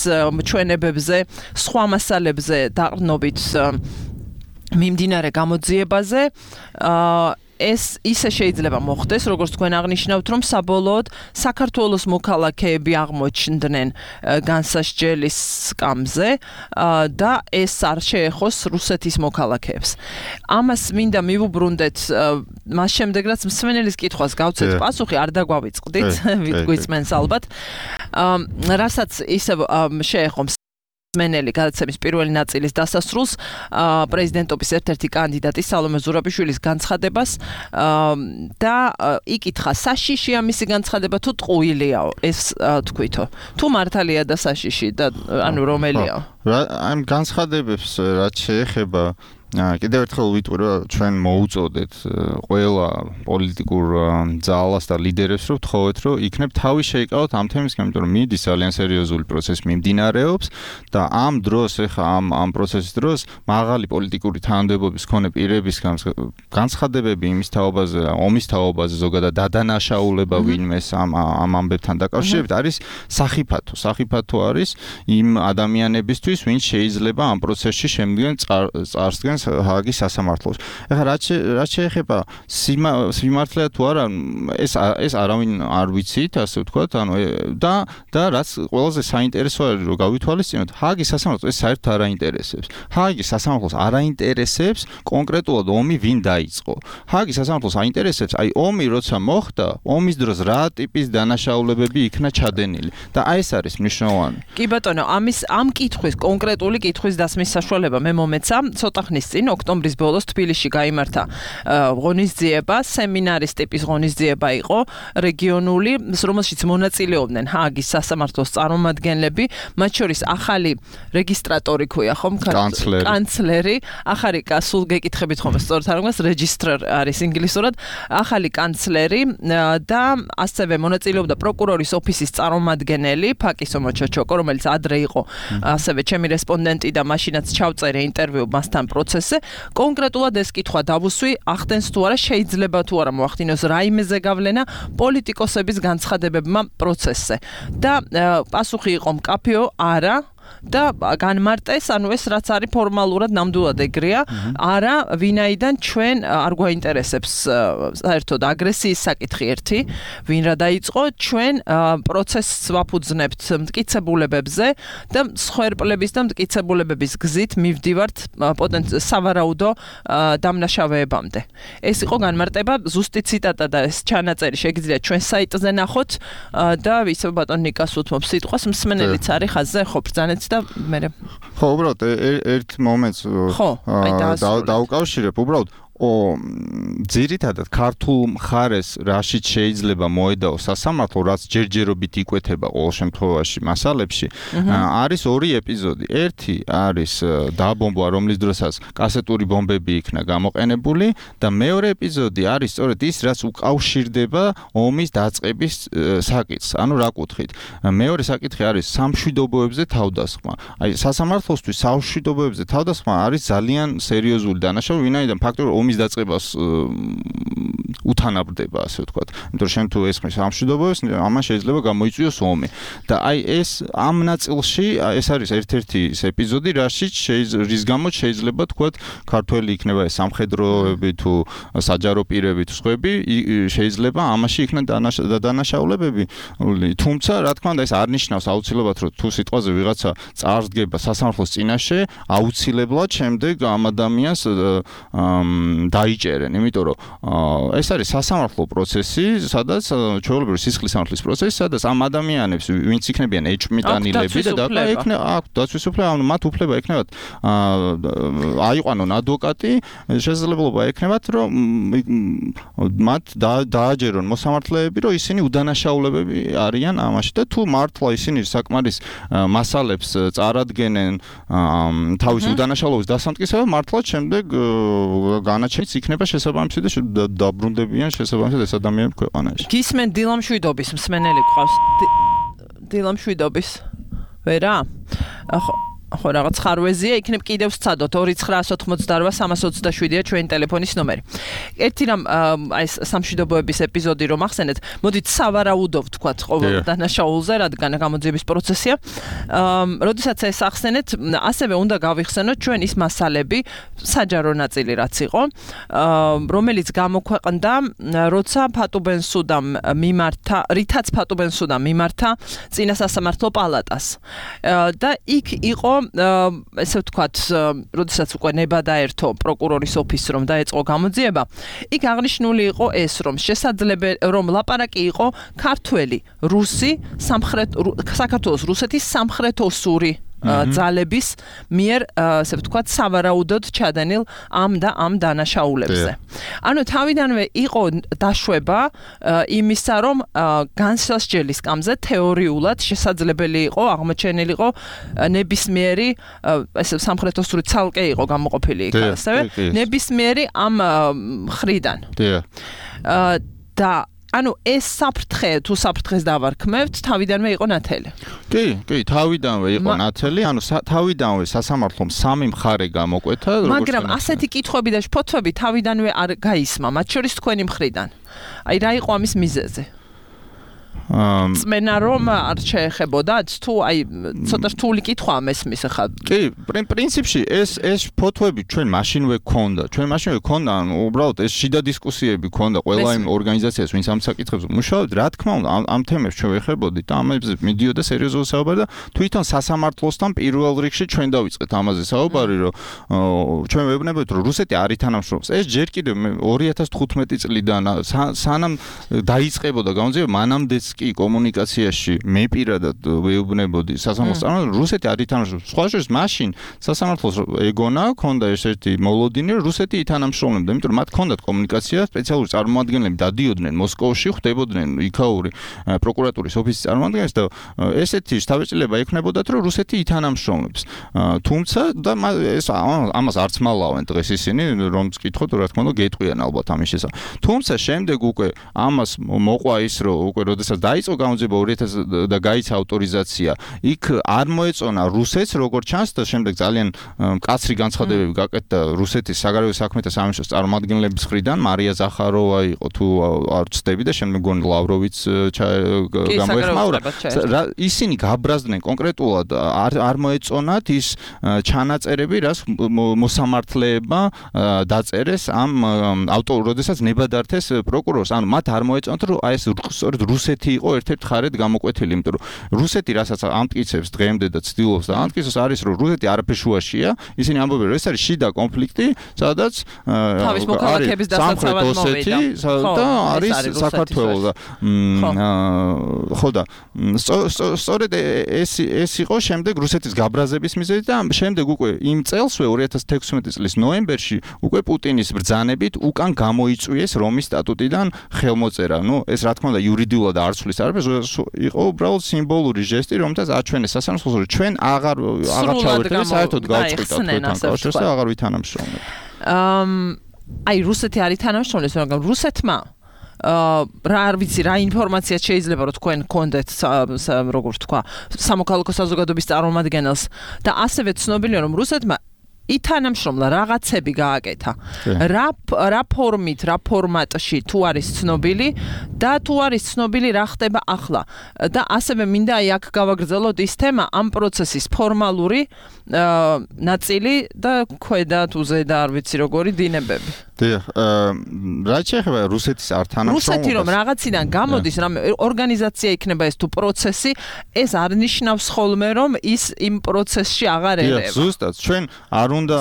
ჩვენებებზე, სხვა მასალებზე დაყრდნობით მიმდინარე გამოძიებაზე, ეს ისე შეიძლება მოხდეს, როგორც თქვენ აღნიშნავთ, რომ საბოლოოდ საქართველოს მოქალაქეები აღმოჩნდნენ განსასჯელის სკამზე და ეს არ შეეხოს რუსეთის მოქალაქეებს. ამას მინდა მივუბრუნდეთ მას შემდეგ, რაც მსმენელის კითხვას გავცეთ პასუხი, არ დაგვავიწყდით, გვიწმენს ალბათ. რასაც ისე შეეხო მენელი გადაცემის პირველი ნაწილის დასასრულს პრეზიდენტობის ერთ-ერთი კანდიდატი სალომე ზურაბიშვილის განცხადებას და იკითხა საშიშია მისი განცხადება თუ ტყუილიაო ეს თქვითო თუ მართალია და საშიში და ანუ რომელია ამ განცხადებებს რაც შეეხება კიდევ ერთხელ ვიტყვი რომ ჩვენ მოუწოდეთ ყველა პოლიტიკურ ძალას და ლიდერებს რომ ვთხოვეთ რომ იქნებ თავი შეიკავოთ ამ თემისგან, იმიტომ რომ მიდის ძალიან სერიოზული პროცესი მიმდინარეობს და ამ დროს ეხა ამ პროცესის დროს მაღალი პოლიტიკური თანამდებობის მქონე პირების განცხადებები იმის თაობაზე, ომის თაობაზე, ზოგადად დადანაშაულება ვინმეს ამ ამბებთან დაკავშირებით არის სახიფათო. სახიფათო არის იმ ადამიანებისთვის, ვინც შეიძლება ამ პროცესში შემდგენ წარსდგენ წარადგენს ჰააგის სასამართლოს. ეხლა რაც შეეხება სიმართლეა თუ არა, ეს არავინ არ ვიცით, ასე ვთქვათ, ანუ და რაც ყველაზე საინტერესო არის, რომ გავითვალისწინოთ, ჰააგის სასამართლოს ეს საერთოდ არ აინტერესებს. ჰააგის სასამართლოს არ აინტერესებს კონკრეტულად ომი ვინ დაიწყო. ჰააგის სასამართლოს აინტერესებს, აი ომი როცა მოხდა, ომის დროს რა ტიპის დანაშაულებები იქნა ჩადენილი და აი ეს არის მნიშვნელოვანი. კი ბატონო, ამ კითხვის კონკრეტული კითხვის დასმის საშუალება მე მომეცა ცოტა ხნის წინ ოქტომბრის ბოლოს თბილისში გაიმართა ღონისძიება, სემინარის ტიპის ღონისძიება იყო რეგიონული, რომელშიც მონაწილეობდნენ ჰააგის სასამართლოს წარმომადგენლები, მათ შორის ახალი რეგისტრატორი ქვია ხომ? კანცლერი, ახალი სულ გეკითხებით ხომ სწორად არ მგონს register არის ინგლისურად, ახალი კანცლერი და ასევე მონაწილეობდა პროკურორის ოფისის წარმომადგენელი ფაკისო მოჩოჩოკო, რომელიც ადრე იყო ასევე ჩემი რესპონდენტი და მაშინაც ჩავწერე ინტერვიუ მასთან პროცესზე. კონკრეტულად ეს კითხვა დავუსვი, ახდენს თუ არა, შეიძლება თუ არა მოახდინოს რაიმეზე გავლენა პოლიტიკოსების განცხადებებმა პროცესზე. და პასუხი იყო მკაფიო, არა. და განმარტეს, ანუ ეს რაც არის ფორმალურად ნამდვილად ეგრეა, არა, ვინაიდან ჩვენ არ გვაინტერესებს საერთოდ აგრესიის საკითხი ერთი, ვინ რა დაიწყო, ჩვენ პროცესს ვაფუძნებთ მტკიცებულებებზე და მსხვერპლების და მტკიცებულებების გზით მივდივართ სავარაუდო დამნაშავეებამდე. ეს იყო განმარტება, ზუსტი ციტატა და ეს ჩანაწერი შეგიძლიათ ჩვენ საიტზე ნახოთ და ისე ბატონ ნიკას უთმობ სიტყვას, მსმენელიც არის ხაზზე, ხო, ბრძანეთ და მე ხო, უბრალოდ ერთ მომენტს დავუკავშირებ, უბრალოდ ძირითადად ქართულ მხარეს რაშიც შეიძლება მოედაო სასამართლო, რაც ჯერჯერობით იკვეთება ყოველ შემთხვევაში მასალებში, არის ორი ეპიზოდი. ერთი არის დაბომბვა, რომლის დროსაც კასეტური ბომბები იქნა გამოყენებული და მეორე ეპიზოდი არის სწორედ ის, რაც უკავშირდება ომის დაწყების საკითხს. ანუ რა კუთხით? მეორე საკითხი არის სამშვიდობოებზე თავდასხმა. აი სასამართლოსთვის სამშვიდობოებზე თავდასხმა არის ძალიან სერიოზული დანაშაული, ვინაიდან ფაქტობრივად დაწყებას უთანაბრდება, ასე ვთქვათ. იმიტომ რომ შენ თუ ესმის სამშვიდობოებს, ამან შეიძლება გამოიწვიოს ომი. და აი ეს ამ ნაწილში ეს არის ერთ-ერთი ეპიზოდი, რის გამოც შეიძლება თქვათ, ქართველი იქნება ეს სამხედროები თუ საჯარო პირები თუ სხვები, შეიძლება ამაში იქნა დანაშაულებები. თუმცა, რა თქმა უნდა, ეს არ ნიშნავს აუცილებლად, რომ თუ სიტყვაზე ვიღაცა წარსდგება სასამართლოს წინაშე, აუცილებლად შემდეგ ამ ადამიანს დაიჭერენ, იმიტომ რომ ეს არის სასამართლო პროცესი, სადაც ჩვეულებრივი სისხლის სამართლის პროცესი, სადაც ამ ადამიანებს, ვინც იქნებიან ეჭვმიტანილები და აქვთ დაცვის უფლება, ანუ მათ უფლება ექნებათ აიყვანონ ადვოკატი, შესაძლებლობა ექნებათ, რომ მათ დააჯერონ მოსამართლეები, რომ ისინი უდანაშაულებები არიან ამაში და თუ მართლა ისინი საკმარის მასალებს წარადგენენ თავის უდანაშაულობის დასამტკიცებლად, მართლაც შემდეგ განაჩენიც იქნება შესაბამისი და დაბრუნდებიან შესაბამისად ეს ადამიანები ქვეყანაში. გისმენ დილამშვიდობის მსმენელი გყავს. დილამშვიდობის. ვერა? ხო, რაღაც ხარვეზია, იქნებ კიდევ სცადოთ 2988327-ია ჩვენი ტელეფონის ნომერი. ერთი რამ აი სამშვიდობოების ეპიზოდი რომ ახსენეთ, მოდით სავარაუდო ვთქვათ ყოველ დანაშაულზე, რადგან გამოძიების პროცესია. როდესაც ეს ახსენეთ, ასევე უნდა გავიხსენოთ ჩვენ ის მასალები, საჯარო ნაწილი რაც იყო, რომელიც გამოქვეყნდა, როცა ფატუბენსუდამ მიმართა, რითაც ფატუბენსუდამ მიმართა წინა სასამართლო პალატას. და იქ იყო ესე ვთქვათ, როდესაც უკვე ნება დაერთო პროკურორის ოფისს რომ დაეწყო გამოძიება, იქ აღნიშნული იყო ეს, რომ შესაძლებელი რომ ლაპარაკი იყო ქართველი, რუსი, საქართველოს რუსეთის სამხრეთოსური ძალების მიერ, ასე ვთქვათ, სავარაუდოდ ჩადენილ ამ დანაშაულებზე. ანუ თავიდანვე იყო დაშვება იმისა, რომ განსასჯელის სკამზე თეორიულად შესაძლებელი იყო აღმოჩენილიყო ნებისმიერი, ესე სამხრეთოსური ცალკე იყო გამოყოფილი იქ, ასევე ნებისმიერი ამ მხრიდან. და ანუ ეს საფრთხე თუ საფრთხეს დავარქმევთ, თავიდანვე იყო ნათელი. კი, თავიდანვე იყო ნათელი, ანუ თავიდანვე სასამართლომ სამი მხარე გამოკვეთა, მაგრამ ასეთი კითხვები და შფოთვები თავიდანვე არ გაისმა, მათ შორის თქვენი მხრიდან. აი რა იყო ამის მიზეზი? წმენა რომ არ შეეხებოდათ თუ აი ცოტა რთული კითხვა მესმის ახლა კი პრინციპში ეს ფოტოები ჩვენ მაშინვე გქონდა ანუ უბრალოდ ეს შიდა დისკუსიები გქონდა ყველა იმ ორგანიზაციას ვინც ამ საკითხებზე მუშაობდა რა თქმა უნდა ამ თემებს ჩვენ ვეხებოდით და ამაზე მიდიოდა სერიოზული საუბარი და თვითონ სასამართლოსთან პირველ რიგში ჩვენ დავიწყეთ ამაზე საუბარი რომ ჩვენ ვეუბნებოდით რომ რუსეთი არ ითანამშრომლობს ეს ჯერ კიდევ 2015 წლიდან სანამ დაიწყებოდა გამოძიება მანამდეც კი კომუნიკაციაში მე პირადად ვეუბნებოდი სასამართლოს წარმომადგენლებს რუსეთი არ ითანამშრომლობს სხვა შორის მაშინ სასამართლოს ეგონა ქონდა ერთ-ერთი მოლოდინი რომ რუსეთი ითანამშრომლებდა იმიტომ რომ მათ ქონდათ კომუნიკაცია სპეციალური წარმომადგენლები დადიოდნენ მოსკოვში ხვდებოდნენ იქაური პროკურატურის ოფისის წარმომადგენლებს და ესეთი შთაბეჭდილება ექნებოდათ რომ რუსეთი ითანამშრომლებს თუმცა და ეს ამას არც მალავენ დღეს ისინი რომ გკითხოთ რა თქმა უნდა გეტყვიან ალბათ ამის შესახებ თუმცა შემდეგ უკვე ამას მოყვა ის რომ უკვე როდესაც დაიწყო გამოძიება 2000 და გაიცა ავტორიზაცია იქ არ მოეწონა რუსეთს როგორც ჩანს და შემდეგ ძალიან მკაცრი განცხადებები გაკეთდა რუსეთის საგარეო საქმეთა სამინისტროს წარმომადგენლების მხრიდან მარია ზახაროვა იყო თუ არ ვცდები და შემდეგ გონი ლავროვიც გამოეხმაურა ისინი გაბრაზდნენ კონკრეტულად არ მოეწონათ ის ჩანაწერები რაც მოსამართლეებმა დაწერეს ამ როდესაც ნებადართეს პროკურორს ანუ მათ არ მოეწონათ რომ აი ეს სწორედ რუსეთი იყო ერთ-ერთ ხარეთ გამოკვეთილი იმიტომ რომ რუსეთი რასაც ამტკიცებს დღემდე და ცდილობს და ამტკიცოს არის რომ რუსეთი არაფერ შუაშია ისინი ამბობენ რომ ეს არის შიდა კონფლიქტი სადაც თავის მოქალაქეების დასაცავად მოვიდა და არის საქართველო და ხო და სწორედ ეს იყო შემდეგ რუსეთის გაბრაზების მიზეზი და შემდეგ უკვე იმ წელსვე 2016 წლის ნოემბერში უკვე პუტინის ბრძანებით უკან გამოიწვიეს რომის სტატუტიდან ხელმოწერა ნუ ეს რა თქმა უნდა იურიდიულად არ ცვლის არაფერს იყო უბრალოდ სიმბოლური ჟესტი რომელთაც აჩვენეს სასამართლოს რომ ჩვენ აღარ ჩავერთვით საერთოდ გავწყვიტათ თქვენთან კავშირს და აღარ ვითანამშრომლებთ აი რუსეთი არ ითანამშრომლებს მაგრამ რუსეთმა რა არ ვიცი რა ინფორმაცია შეიძლება რომ თქვენ გქონდეთ როგორ თქვა სამოქალაქო საზოგადოების წარმომადგენელს და ასევე ცნობილია რომ რუსეთმა ითანამშრომლა რაღაცები გააკეთა რა ფორმით რა ფორმატში თუ არის ცნობილი და თუ არის ცნობილი რა ხდება ახლა და ასევე მინდა აი აქ გავაგრძელოთ ის თემა ამ პროცესის ფორმალური ნაწილი და ქვედა თუ ზედა არ ვიცი როგორი დინებები რა შეიძლება რუსეთის არ თანამშრომლობას რუსეთი რომ რაღაციდან გამოდის რამე ორგანიზაცია იქნება ეს თუ პროცესი ეს არ ნიშნავს ხოლმე რომ ის იმ პროცესში აღარ ერევა ზუსტად ჩვენ არ უნდა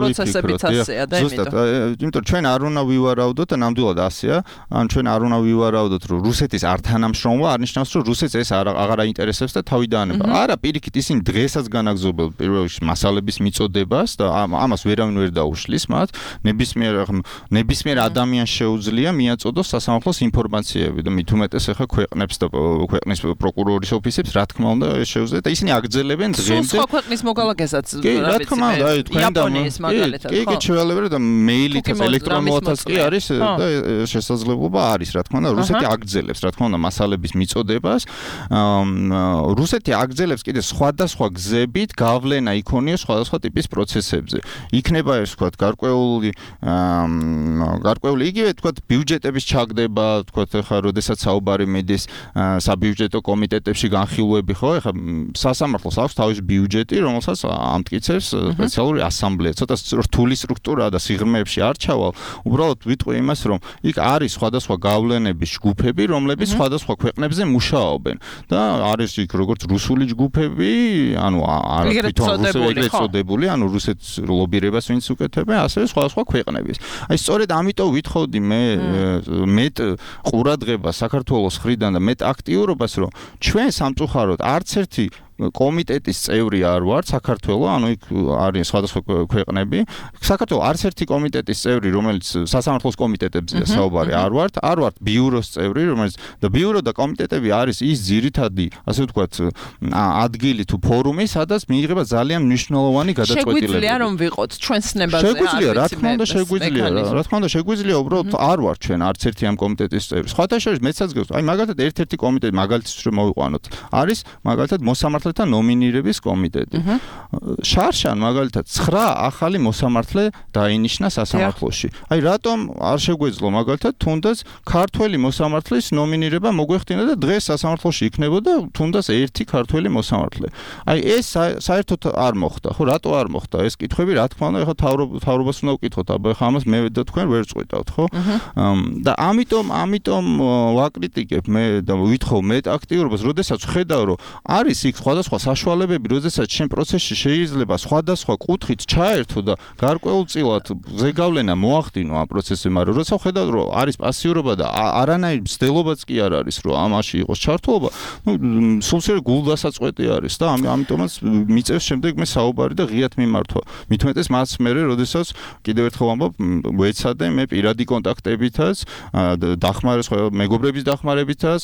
ვიფიქროთ ზუსტად იმიტომ ჩვენ არ უნდა ვივარაუდოთ და ნამდვილად ასეა ან ჩვენ არ უნდა ვივარაუდოთ რომ რუსეთის არ თანამშრომლობა არ ნიშნავს რომ რუსეთს ეს აღარ აინტერესებს და თავი დაანება არა პირიქით ისინი დღესაც განაგზობენ პირველ რიგში მასალების მიწოდებას და ამას ვერავინ ვერ დაუშლის მათ ნებისმიერ ადამიანს შეუძლია მიაწოდოს სასამართლოს ინფორმაციები და მით უმეტეს ახლა ქვეყნებს და ქვეყნის პროკურორის ოფისებს რა თქმა უნდა შეუძლია და ისინი აგრძელებენ დღემდე სხვა ქვეყნის მოქალაქესაც რა თქმა უნდა აი იაპონიის მაგალითად კი შევალებერა და მეილითაც ელექტრონულადაც კი არის და შესაძლებლობა არის რა თქმა უნდა რუსეთი აგრძელებს რა თქმა უნდა მასალების მიწოდებას რუსეთი აგრძელებს კიდე სხვადასხვა გზებით გავლენა იქონია სხვადასხვა ტიპის პროცესებზე იქნება ეს ვთქვათ გარკვეული იგივე ვთქვათ ბიუჯეტების ჩაგდება ვთქვათ ახლა როდესაც საუბარი მიდის საბიუჯეტო კომიტეტებში განხილვები ხო ახლა სასამართლოს აქვს თავისი ბიუჯეტი რომელსაც ამტკიცებს სპეციალური ასამბლეა ცოტა რთული სტრუქტურაა და სიღრმეებში არ ჩავალ უბრალოდ ვიტყვი იმას რომ იქ არის სხვადასხვა გავლენების ჯგუფები რომლებიც სხვადასხვა ქვეყნებზე მუშაობენ და არის იქ როგორც რუსული ჯგუფები ანუ თვითონ ეგრეთ წოდებული ანუ რუსეთის ლობირებას ვინც უკეთებენ ასევე სხვადასხვა ქვეყნების აი სწორედ ამიტომ ვითხოვდი მე მეტ ყურადღებას საქართველოს მხრიდან და მეტ აქტიურობას რომ ჩვენ სამწუხაროდ არც ერთი კომიტეტის წევრი არ ვარ საქართველოს, ანუ იქ არის სხვადასხვა ქვეყნები. საქართველოს არც ერთი კომიტეტის წევრი, რომელიც სასამართლოს კომიტეტებზეა საუბარი, არ ვართ ბიუროს წევრი, რომელიც და ბიურო და კომიტეტები არის ის ძირითადი, ასე ვთქვათ, ადგილი თუ ფორუმი, სადაც მიიღება ძალიან მნიშვნელოვანი გადაწყვეტილებები. შეგვიძლია რომ ვიყოთ ჩვენს ნებაზე. შეგვიძლია, რა თქმა უნდა, შეგვიძლია, უბრალოდ არ ვართ ჩვენ არც ერთი ამ კომიტეტის წევრი. სხვათა შორის მეცაც გქონს, აი მაგალითად ერთ-ერთი კომიტეტი მაგალითად რომ მოვიყვანოთ, არის მაგალითად მოსამართლე მოსამართლეთა ნომინირების კომიტეტი. შარშან მაგალითად 9 ახალი მოსამართლე დაინიშნა სასამართლოში. აი რატომ არ შეგვეძლო მაგალითად თუნდაც ქართველი მოსამართლის ნომინირება მოგვეხდინა და დღეს სასამართლოში იქნებოდა თუნდაც ერთი ქართველი მოსამართლე. აი ეს საერთოდ არ მოხდა, ხო, რატო არ მოხდა ეს კითხვები, რა თქმა უნდა, ეხლა თავრობას უნდა ვკითხოთ, აბა ეხლა ამას მე და თქვენ ვერ წყვეტავთ, ხო? და ამიტომ ვაკრიტიკებ მე და ვითხოვ მე აქტიურობას, როდესაც ხედავ, რომ არის იქ სხვადასხვა საშუალებები, როდესაც შენ პროცესში შეიძლება სხვადასხვა კუთხით ჩაერთო და გარკვეულწილად ზეგავლენა მოახდინო ამ პროცესზე, მაგრამ როცა ხედავ, რომ არის პასიურობა და არანაირი მცდელობაც კი არ არის, რომ ამაში იყოს ჩართულობა, სულსიერ გულდასაწყვეტი არის და ამიტომაც მიწევს შემდეგ მე საუბარი და ღიად მიმართვა. მით უმეტეს მას მერე, როდესაც კიდევ ერთხელ ამბობ, ვეცადე მე პირადი კონტაქტებითაც, მეგობრების დახმარებითაც,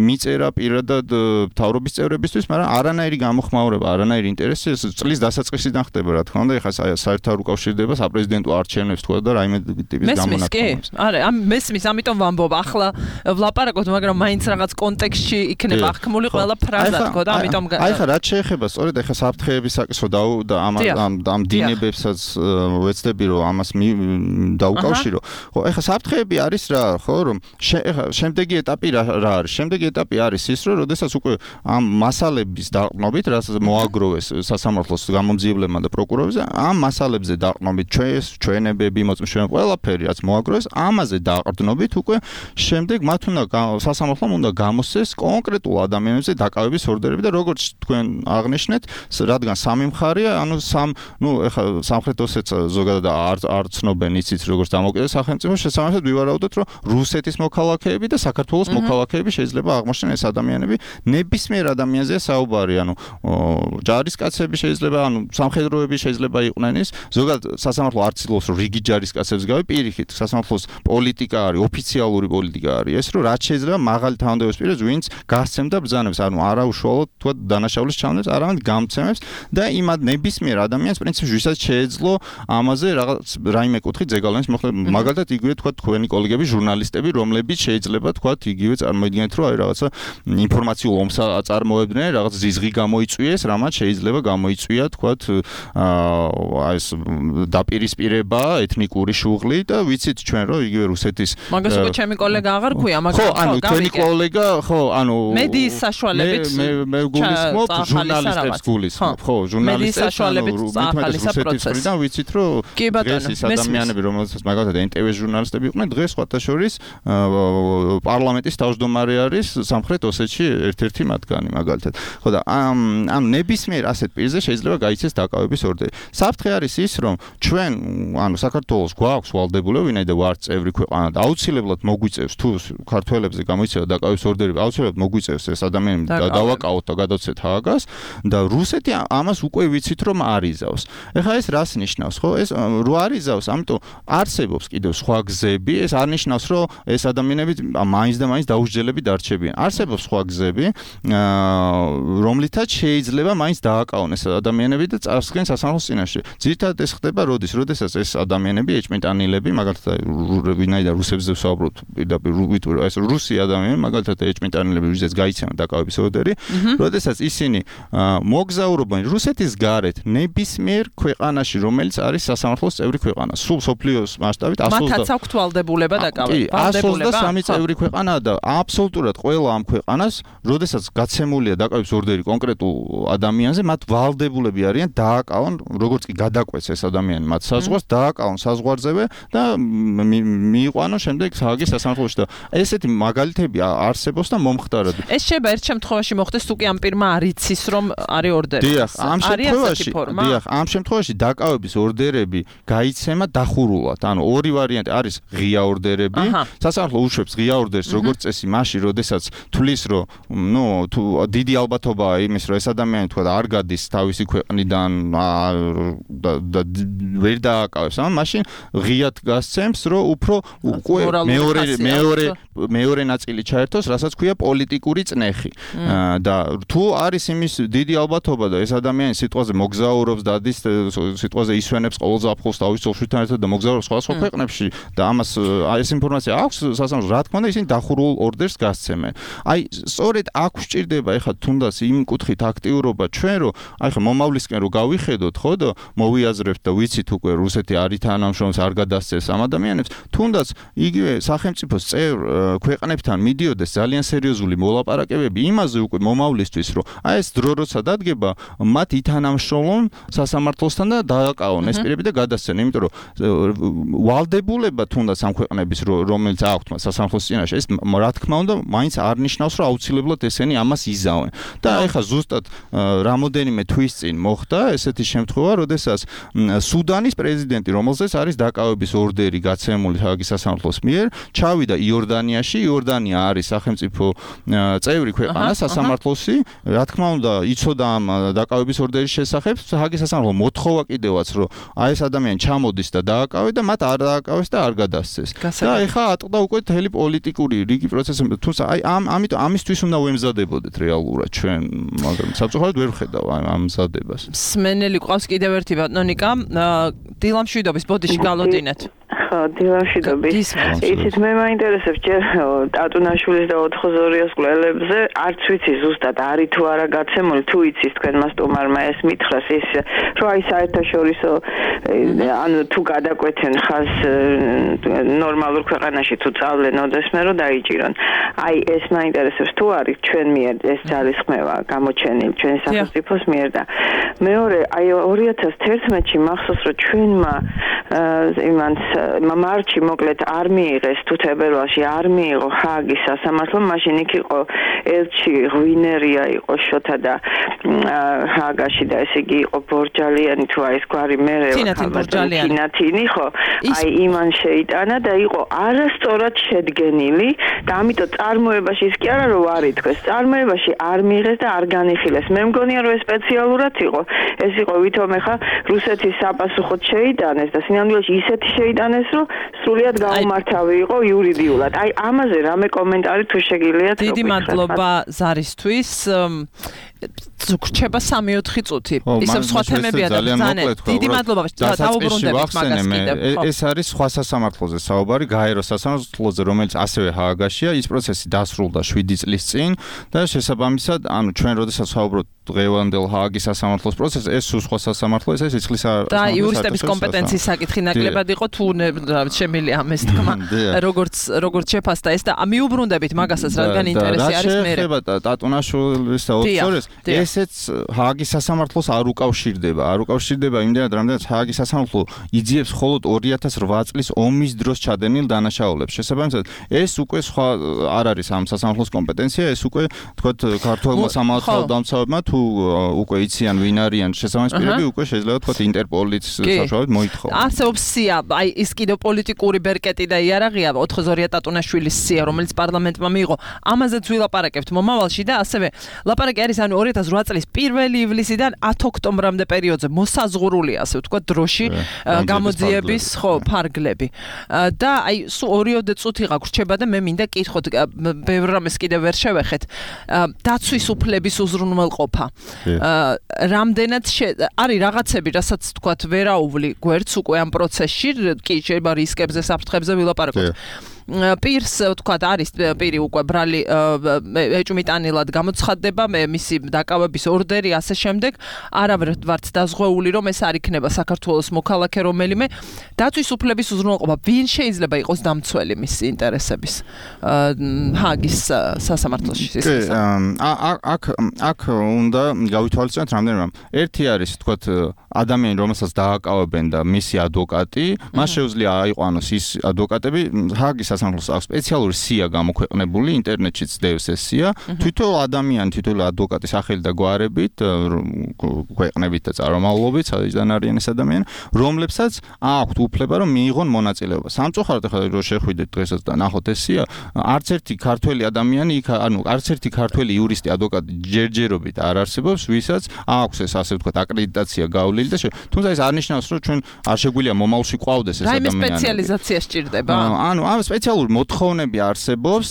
მიწერა პირადად მთავრობის წევრებისთვის, მაგრამ არანაირი გამოხმაურება, არანაირი ინტერესი წლის დასაწყისიდან ხდება, რა თქმა უნდა, ეხლა საერთოდ უკავშირდება საპრეზიდენტო არჩევნებს თქვა და რაიმე ტიპის გამონაკლისს. არა, მესმის, ამიტომ ვამბობ, ახლა ვლაპარაკოთ, მაგრამ მაინც რაღაც კონტექსტში იქნება აღქმული ყველა ფრაზა თქო და ამიტომ აი ხა რაც შეეხება სწორედ ეხლა საფრთხეების საკითხო და ამ დინებებსაც ვეცდები რომ ამას დაუკავშირო. ხო, ეხლა საფრთხეები არის რა, ხო, რომ შემდეგი ეტაპი რა არის? შემდეგი ეტაპი არის ის, რომ როდესაც უკვე ამ მასალების დაყრდნობით, რაც მოაგროვეს სასამართლოს გამომძიებლებმა და პროკურორებზე, ამ მასალებზე დაყრდნობით ჩვენებები, მოწმეები, ყველაფერი რაც მოაგროვეს, ამაზე დაყრდნობით უკვე შემდეგ მათ სასამართლომ უნდა გამოსცეს კონკრეტულ ადამიანებზე დაკავების ორდერები და როგორც თქვენ აღნიშნეთ, რადგან სამი მხარეა, ეხლა სამხრეთ ოსეთს ზოგადად არ ცნობენ იცით როგორც დამოუკიდებელ სახელმწიფოს, შესაბამისად ვივარაუდოთ, რომ რუსეთის მოქალაქეები და საქართველოს მოქალაქეები შეიძლება აღმოჩნდნენ ეს ადამიანები, ნებისმიერ ადამიანზეა საუბარი, ჯარისკაცები შეიძლება, სამხედროები შეიძლება იყვნენ ის, ზოგადად სასამართლო არ ცდილობს რომ რიგი ჯარისკაცებს გავი, პირიქით, სასამართლოს პოლიტიკა არის, ოფიციალური პოლიტიკა არის ეს, რომ რაც შეიძლება მაღალი თანამდებობის პირებს, ვინც გასცემდა ბრძანებს, არა უშუალოდ თქვა დანაშაულის ჩავნებს, არამედ გამცემებს და იმ ნებისმიერ ადამიანს პრინციპში ვისაც შეეძლო ამაზე რაღაც რაიმე კუთხით ზეგავლენის მოხდა, მაგალითად იგივე თქვა თქვენი კოლეგები, ჟურნალისტები, რომლებიც შეიძლება თქვა იგივე წარმოიდგინეთ, რომ აი რაღაცა ინფორმაციულ ომს წარმოებდნენ, რაღაც ზიზღი გამოიწვიეს, რამაც შეიძლება გამოიწვია თქვა ეს დაპირისპირება, ეთნიკური შუღლი და ვიცით ჩვენ რომ იგივე რუსეთის მაგას უკვე ჩემი კოლეგა აღარ ქვია, მაგრამ ხო, თქვენი კოლეგა, ხო, მედიის საშუალებით მე გულისხმობ ჟურნალისტებს გულისხმობ, ხო, ჟურნალისტებს საშუალებით ახალისა პროცესი. და ვიცით რომ დღეს ის ადამიანები, რომელსაც მაგალითად NTV ჟურნალისტები იყვნენ, დღეს სხვათა შორის პარლამენტის თავმჯდომარე არის სამხრეთ ოსეთში ერთ-ერთი მათგანი მაგალითად. ხო და ამ ნებისმიერ ასეთ პირზე შეიძლება გაიცეს დაკავების ორდერი. საფრთხე არის ის, რომ ჩვენ, საქართველოს გვაქვს ვალდებულება, ვინაიდან ვართ წევრი ქვეყანა და აუცილებლად მოგვიწევს თუ ქართველებზე გამოიცევა დაკავების ორდერები, აუცილებლად მოგვიწევს ეს ადამიანები დავაკავოთ და გადავცეთ ჰააგას და რუსეთი ამას უკვე ვიცით რომ არიზავს. ეხლა ეს რას ნიშნავს, ხო? ეს რო არიზავს, ამიტომ არსებობს კიდევ სხვა გზები, ეს არ ნიშნავს რომ ეს ადამიანები მაინც და მაინც დაუსჯელები დარჩებიან. არსებობს სხვა გზები, რომლითაც შეიძლება მაინც დააკავონ ეს ადამიანები და წარსდგენ სასამართლოს წინაშე. ძირითადად ეს ხდება როდესაც ეს ადამიანები ეჭმიტანილები, მაგალითად ვინაიდან რუსებზე ვსაუბრობთ, პირდაპირ ეს რუსი ადამიანები, მაგალითად ეჭმიტანილები, ვიზეც გაიცემა დაკავების ორდერი, როდესაც ისინი მოგზაურობენ რუსეთის გარეთ ნებისმიერ ქვეყანაში, რომელიც არის სასამართლოს წევრი ქვეყანა. სულ სოფლიოს მასშტაბით 100 მათაც აქვთ ვალდებულება დაკავების. 123 წევრი ქვეყანაა და აბსოლუტურად ყველა ამ ქვეყანას, როდესაც გაცემულია დაკავების ორდერი კონკრეტულ ადამიანზე, მათ ვალდებულები არიან დააკავონ, როგორც კი გადაკვეთს ეს ადამიანი მათ საზღვარს, დააკავონ საზღვარზევე და მიიყვანონ შემდეგ ჰააგის სასამართლოში და ესეთი მაგალითები არსებობს და მომხდარად. ეს შეიძლება ერთ შემთხვევაში მოხდეს, თუ კი ამ პირმა არ იცის რომ არის ორდერი. დიახ, ამ შემთხვევაში დაკავების ორდერები გაიცემა დახურულად. ორი ვარიანტი არის ღია ორდერები. სასამართლო უშვებს ღია ორდერს როგორც წესი მაშინ, როდესაც თulis რომ თუ დიდი ალბათობაა იმის, რომ ეს ადამიანი თქვა არ გადის თავისი ქვეყნიდან და ვერ დააკავებს, მაშინ ღიად გასცემს, რომ უფრო უკვე მეორე ნაწილი ჩაერთოს, რასაც ქვია პოლიტიკური წნეხი. და თუ არის იმის დიდი ალბათობა და ეს ადამიანი სიტყვაზე მოგზაურობს, დადის სიტყვაზე ისვენებს ყოველ ზაფხულს თავის ძოხშთან ერთად და მოგზაურობს სხვადასხვა ქვეყნებში და ამას ეს ინფორმაცია აქვს სასამართლოს, რა თქმა უნდა, ისინი დახურულ ორდერს გასცემენ. აი, სწორედ აქ ვჭირდება ეხლა თუნდაც იმ კუთხით აქტიურობა ჩვენ, რომ აი ხა მომავლისკენ რო გავიხედოთ, ხო და მოვიაზრებთ და ვიცით უკვე რუსეთი არის თანამშრომლობს, არ გადასცეს ამ ადამიანებს, თუნდაც იგივე სახელმწიფოს წევრ ქვეყნებთან მიდიოდეს ძალიან სერიოზული მოლაპარაკებები იმაზე უკვე მომავლისთვის, რომ აი ეს დრო როცა დადგება, მათ ითანამშრომლონ სასამართლოსთან და დააკავონ ეს პირები და გადასცენ, იმიტომ რომ ვალდებულება თუნდაც ამ ქვეყნების რომელიც აქვთ სასამართლოს წინაშე, ეს რა თქმა უნდა მაინც არ ნიშნავს, რომ აუცილებლად ესენი ამას იზავენ. და ეხლა ზუსტად რამოდენიმე თვის წინ მოხდა ესეთი შემთხვევა, როდესაც სუდანის პრეზიდენტი, რომელზეც არის დაკავების ორდერი გაცემული ჰააგის სასამართლოს მიერ, ჩავიდა იორდანიაში. იორდანია არის სახელმწიფო წევრი ქვეყანა სასამართლოსი. რა თქმა უნდა, იცოდა ამ დაკავების ორდერის შესახებ. ჰააგის სასამართლო მოთხოვა კიდევაც, რომ აი ეს ადამიანი ჩამოდის და დააკავე და მათ არ დააკავეს და არ გადასცეს. და ეხლა ატყდა უკვე მთელი პოლიტიკური რიგი პროცესები. თუმცა აი ამიტომ ამისთვის უნდა ვემზადებოდეთ რეალურად ჩვენ, მაგრამ საბჭოთად ვერ ვხედავ ამ მზადებას. სმენელი ყავს კიდევ ერთი ბატონიკა, დილამშვიდობის ბოდიში გალოდინეთ. ხო, დილამშვიდობის. იცით, მე მაინტერესებს ჯერ ტატუნაშვილის და 402-ის კვლელებზე, არც ვიცი ზუსტად არის თუ არა გაცემული, თუ იცის თქვენმა სტუმარმა ეს მითხრას ის, რომ აი საერთაშორისო ანუ თუ გადაკვეთენ ხას ნორმალურ ქვეყანაში თუ წავლენ ოდესმე რომ დაიჭირონ. აი ეს მაინტერესებს თუ არის ჩვენ მიერ ეს ძალისხმევა გამოჩენილი ჩვენი სახელმწიფოს მიერ და მეორე აი 2011-ში მახსოვს რომ ჩვენმა იმანს მარტში მოკლედ არ მიიღეს თუ თებერვალში არ მიიღო ჰააგის სასამართლომ, მაშინ იქ იყო ელჩი ღვინერია იყო შოთა და ჰააგაში და ესე იგი იყო ბორჯალიანი თუ აი ეს გვარი მერე თინათინი ხო აი იმან შეიტანა და იყო არასწორად შედგენილი და ამიტომ წარმოებაში ის კი არა რომ არ ითქვეს, წარმოებაში არ მიიღეს და არ განიხილეს. მე მგონია რომ ეს სპეციალურად იყო, ეს იყო ვითომ ეხა რუსეთის საპასუხოდ შეიტანეს და სინამდვილეში ისეთი შეიტანეს რომ სრულიად გაუმართავი იყო იურიდიულად. აი ამაზე რამე კომენტარი თუ შეგიძლიათ. დიდი მადლობა ზარისთვის. გრჩება 3-4 წუთი. ისევ სხვა თემებია და ძალიან დიდი მადლობა. დაუბრუნდებით მაგას კიდევ. ეს არის სხვა სასამართლოზე საუბარი, გაეროს სასამართლოზე, რომელიც ასევე ჰააგაშია. ის პროცესი დასრულდა 7 წლის წინ და შესაბამისად, ანუ ჩვენ როდესაც საუბრობთ დღევანდელ ჰააგის სასამართლოს პროცესს, ეს სხვა სასამართლო, ეს სიცხლის და იურისტების კომპეტენციის საკითხი ნაკლებად იყო თუ შემილია ამის თქმა. როგორც შეფასდა ეს და მიუბრუნდებით მაგასაც, რადგან ინტერესი არის მე. შეიძლება ტატუნაშვილის და 202-ის ესეც ჰააგის სასამართლოს არ უკავშირდება. არ უკავშირდება იმდენად, რამდენად ჰააგის სასამართლო იძიებს მხოლოდ 2008 წლის ომის დროს ჩადენილ დანაშაულებს. შესაბამისად, ეს უკვე სხვა არ არის ამ სასამართლოს კომპეტენცია, ეს უკვე თქვათ ქართველმა სამართალდამცავებმა თუ უკვე იციან ვინ არიან შესაბამის პირები, უკვე შეიძლება თქვათ ინტერპოლის საშუალებით მოითხოვონ. არსებობს სია, აი ის კიდევ პოლიტიკური ბერკეტი და იარაღია 402 ტატუნაშვილის სია, რომელიც პარლამენტმა მიიღო. ამაზეც ვილაპარაკებთ მომავალში და ასევე ლაპარაკი არის ანუ 2008 წლის 1 ივლისიდან 10 ოქტომბრამდე პერიოდზე მოსაზღვრული ასე ვთქვათ დროში გამოძიების ფარგლები. და აი 2 წუთი გაგვრჩება და მე მინდა კითხოთ ბევრ რამეს კიდევ ვერ შევეხეთ. დაცვის უფლების უზრუნველყოფა. რამდენად არის რაღაცები, რასაც ვთქვათ ვერაუვლი გვერდს უკვე ამ პროცესში, კი შეიძლება რისკებზე, საფრთხებზე ვილაპარაკოთ. პირს ვთქვათ არის პირი უკვე ბრალი ეჭვმიტანილად გამოცხადდება, მისი დაკავების ორდერი ასე შემდეგ, არავარ ვართ დაზღვეული რომ ეს არ იქნება საქართველოს მოქალაქე რომელიმე. დაცვის უფლების უზრუნველყოფა, ვინ შეიძლება იყოს დამცველი მისი ინტერესების ჰააგის სასამართლოში? აქ უნდა გავითვალისწინოთ რამდენიმე რამ. ერთი არის ვთქვათ ადამიანი, რომელსაც დააკავებენ და მისი ადვოკატი, მას შეუძლია აიყვანოს ის ადვოკატები. ჰააგის სასამართლოს აქვს სპეციალური სია გამოქვეყნებული, ინტერნეტშიც დევს ეს სია. თვითონ ადამიანი, თვითონ ადვოკატის სახელი და გვარებით, ქვეყნებით და წარმომავლობით, სადაც არიან ეს ადამიანი, რომლებსაც აქვთ უფლება რომ მიიღონ მონაწილეობა. სამწუხაროდ ახლა რო შეხვიდეთ დღესაც და ნახოთ ეს სია, არც ერთი ქართველი ადამიანი, ანუ არც ერთი ქართველი იურისტი, ადვოკატი ჯერჯერობით არ არსებობს, ვისაც აქვს ეს ასე ვთქვათ აკრედიტაცია გავლილი და თუმცა ეს არ ნიშნავს რომ ჩვენ არ შეგვიძლია მომავალში ყვავდეს ეს ადამიანი. რაიმე სპეციალიზაცია სჭირდება? ანუ ამ სპეციალური მოთხოვნები არსებობს,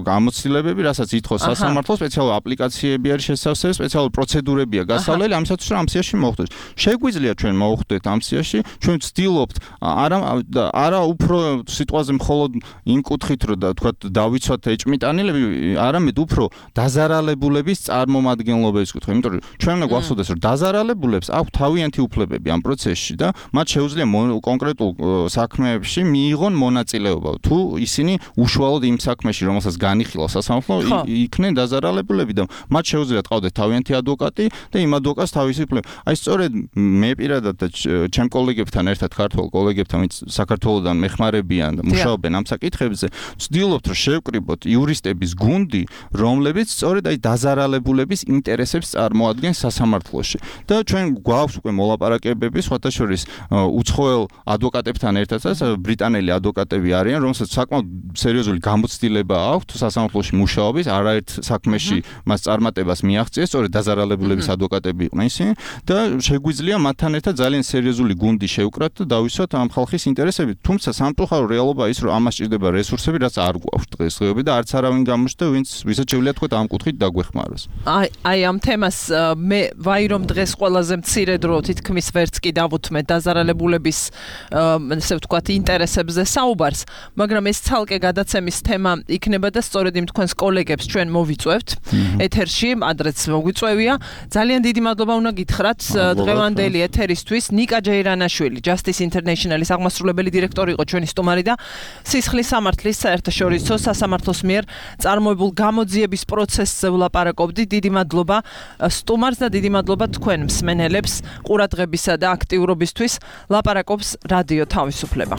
გამოცდილებები, რასაც ითხოვს სასამართლო, სპეციალური აპლიკაციები არის შესავსებელი, სპეციალური პროცედურებია გასავლელი ამისათვის, რომ ამ სიაში მოხვდეს. შეგვიძლია ჩვენ მოვხვდეთ ამ სიაში, ჩვენ ვცდილობთ არა უფრო სიტყვაზე მხოლოდ იმ კუთხით, რომ თქვათ დავიცვათ ეჭმიტანილები, არამედ უფრო დაზარალებულების წარმომადგენლობის კუთხე. იმიტომ რომ ჩვენ უნდა გვახსოვდეს, რომ დაზარალებულებს აქვთ თავიანთი უფლებები ამ პროცესში და მათ შეუძლია კონკრეტულ საქმეებში მიიღონ მონაწილეობა. თუ ისინი უშუალოდ იმ საქმეში, რომელსაც განიხილავს სასამართლო, იქნენ დაზარალებულები და მათ შეუძლიათ ყავდეთ თავიანთი ადვოკატი და იმ ადვოკატს თავისი უფლება. აი სწორედ მე პირადად და ჩემ კოლეგებთან ერთად, ქართველ კოლეგებთან, ვინც საქართველოსდან მეხმარებიან და მუშაობენ ამ საკითხებზე, ვცდილობთ, რომ შევკრიბოთ იურისტების გუნდი, რომლებიც სწორედ აი დაზარალებულების ინტერესებს წარმოადგენს სასამართლოში. და ჩვენ გვაქვს უკვე მოლაპარაკებები, სხვათა შორის უცხოელ ადვოკატებთან ერთადაც, ბრიტანელი ადვოკატები არიან, რომელსაც საკმაოდ სერიოზული გამოცდილება აქვთ სასამართლოში მუშაობის, არაერთ საქმეში მას წარმატებას მიაღწიეს, სწორედ დაზარალებულების ადვოკატები იყვნენ ისინი და შეგვიძლია მათთან ერთად ძალიან სერიოზული გუნდი შევკრათ და დავისვათ ამ ხალხის ინტერესები. თუმცა სამწუხარო რეალობა ის, რომ ამას სჭირდება რესურსები, რაც არ გვაქვს დღესდღეობით და არც არავინ გამოჩნდა, ვისაც შეგვიძლია თქვა ამ კუთხით დაგვეხმაროს. აი ამ თემას მე ვაი რომ დღეს ყველაზე მცირე დრო თითქმის ვერც კი დავუთმე დაზარალებულების ესე ვთქვათ ინტერესებზე საუბარს, მაგრამ ეს ცალკე გადაცემის თემა იქნება და სწორედ იმ თქვენს კოლეგებს ჩვენ მოვიწევთ ეთერში, ადრეც მოგვიწევია. ძალიან დიდი მადლობა უნდა გითხრათ დღევანდელი ეთერისთვის. ნიკა ჯეირანაშვილი, Justice International-ის აღმასრულებელი დირექტორი იყო ჩვენი სტუმარი და სისხლის სამართლის საერთაშორისო სასამართლოს მიერ წარმოებულ გამოძიების პროცესზე ვლაპარაკობდი. დიდი მადლობა სტუმარს და დიდი მადლობა თქვენ მსმენელებს ყურადღებისა და აქტიურობისთვის. ლაპარაკობს რადიო თავისუფლება.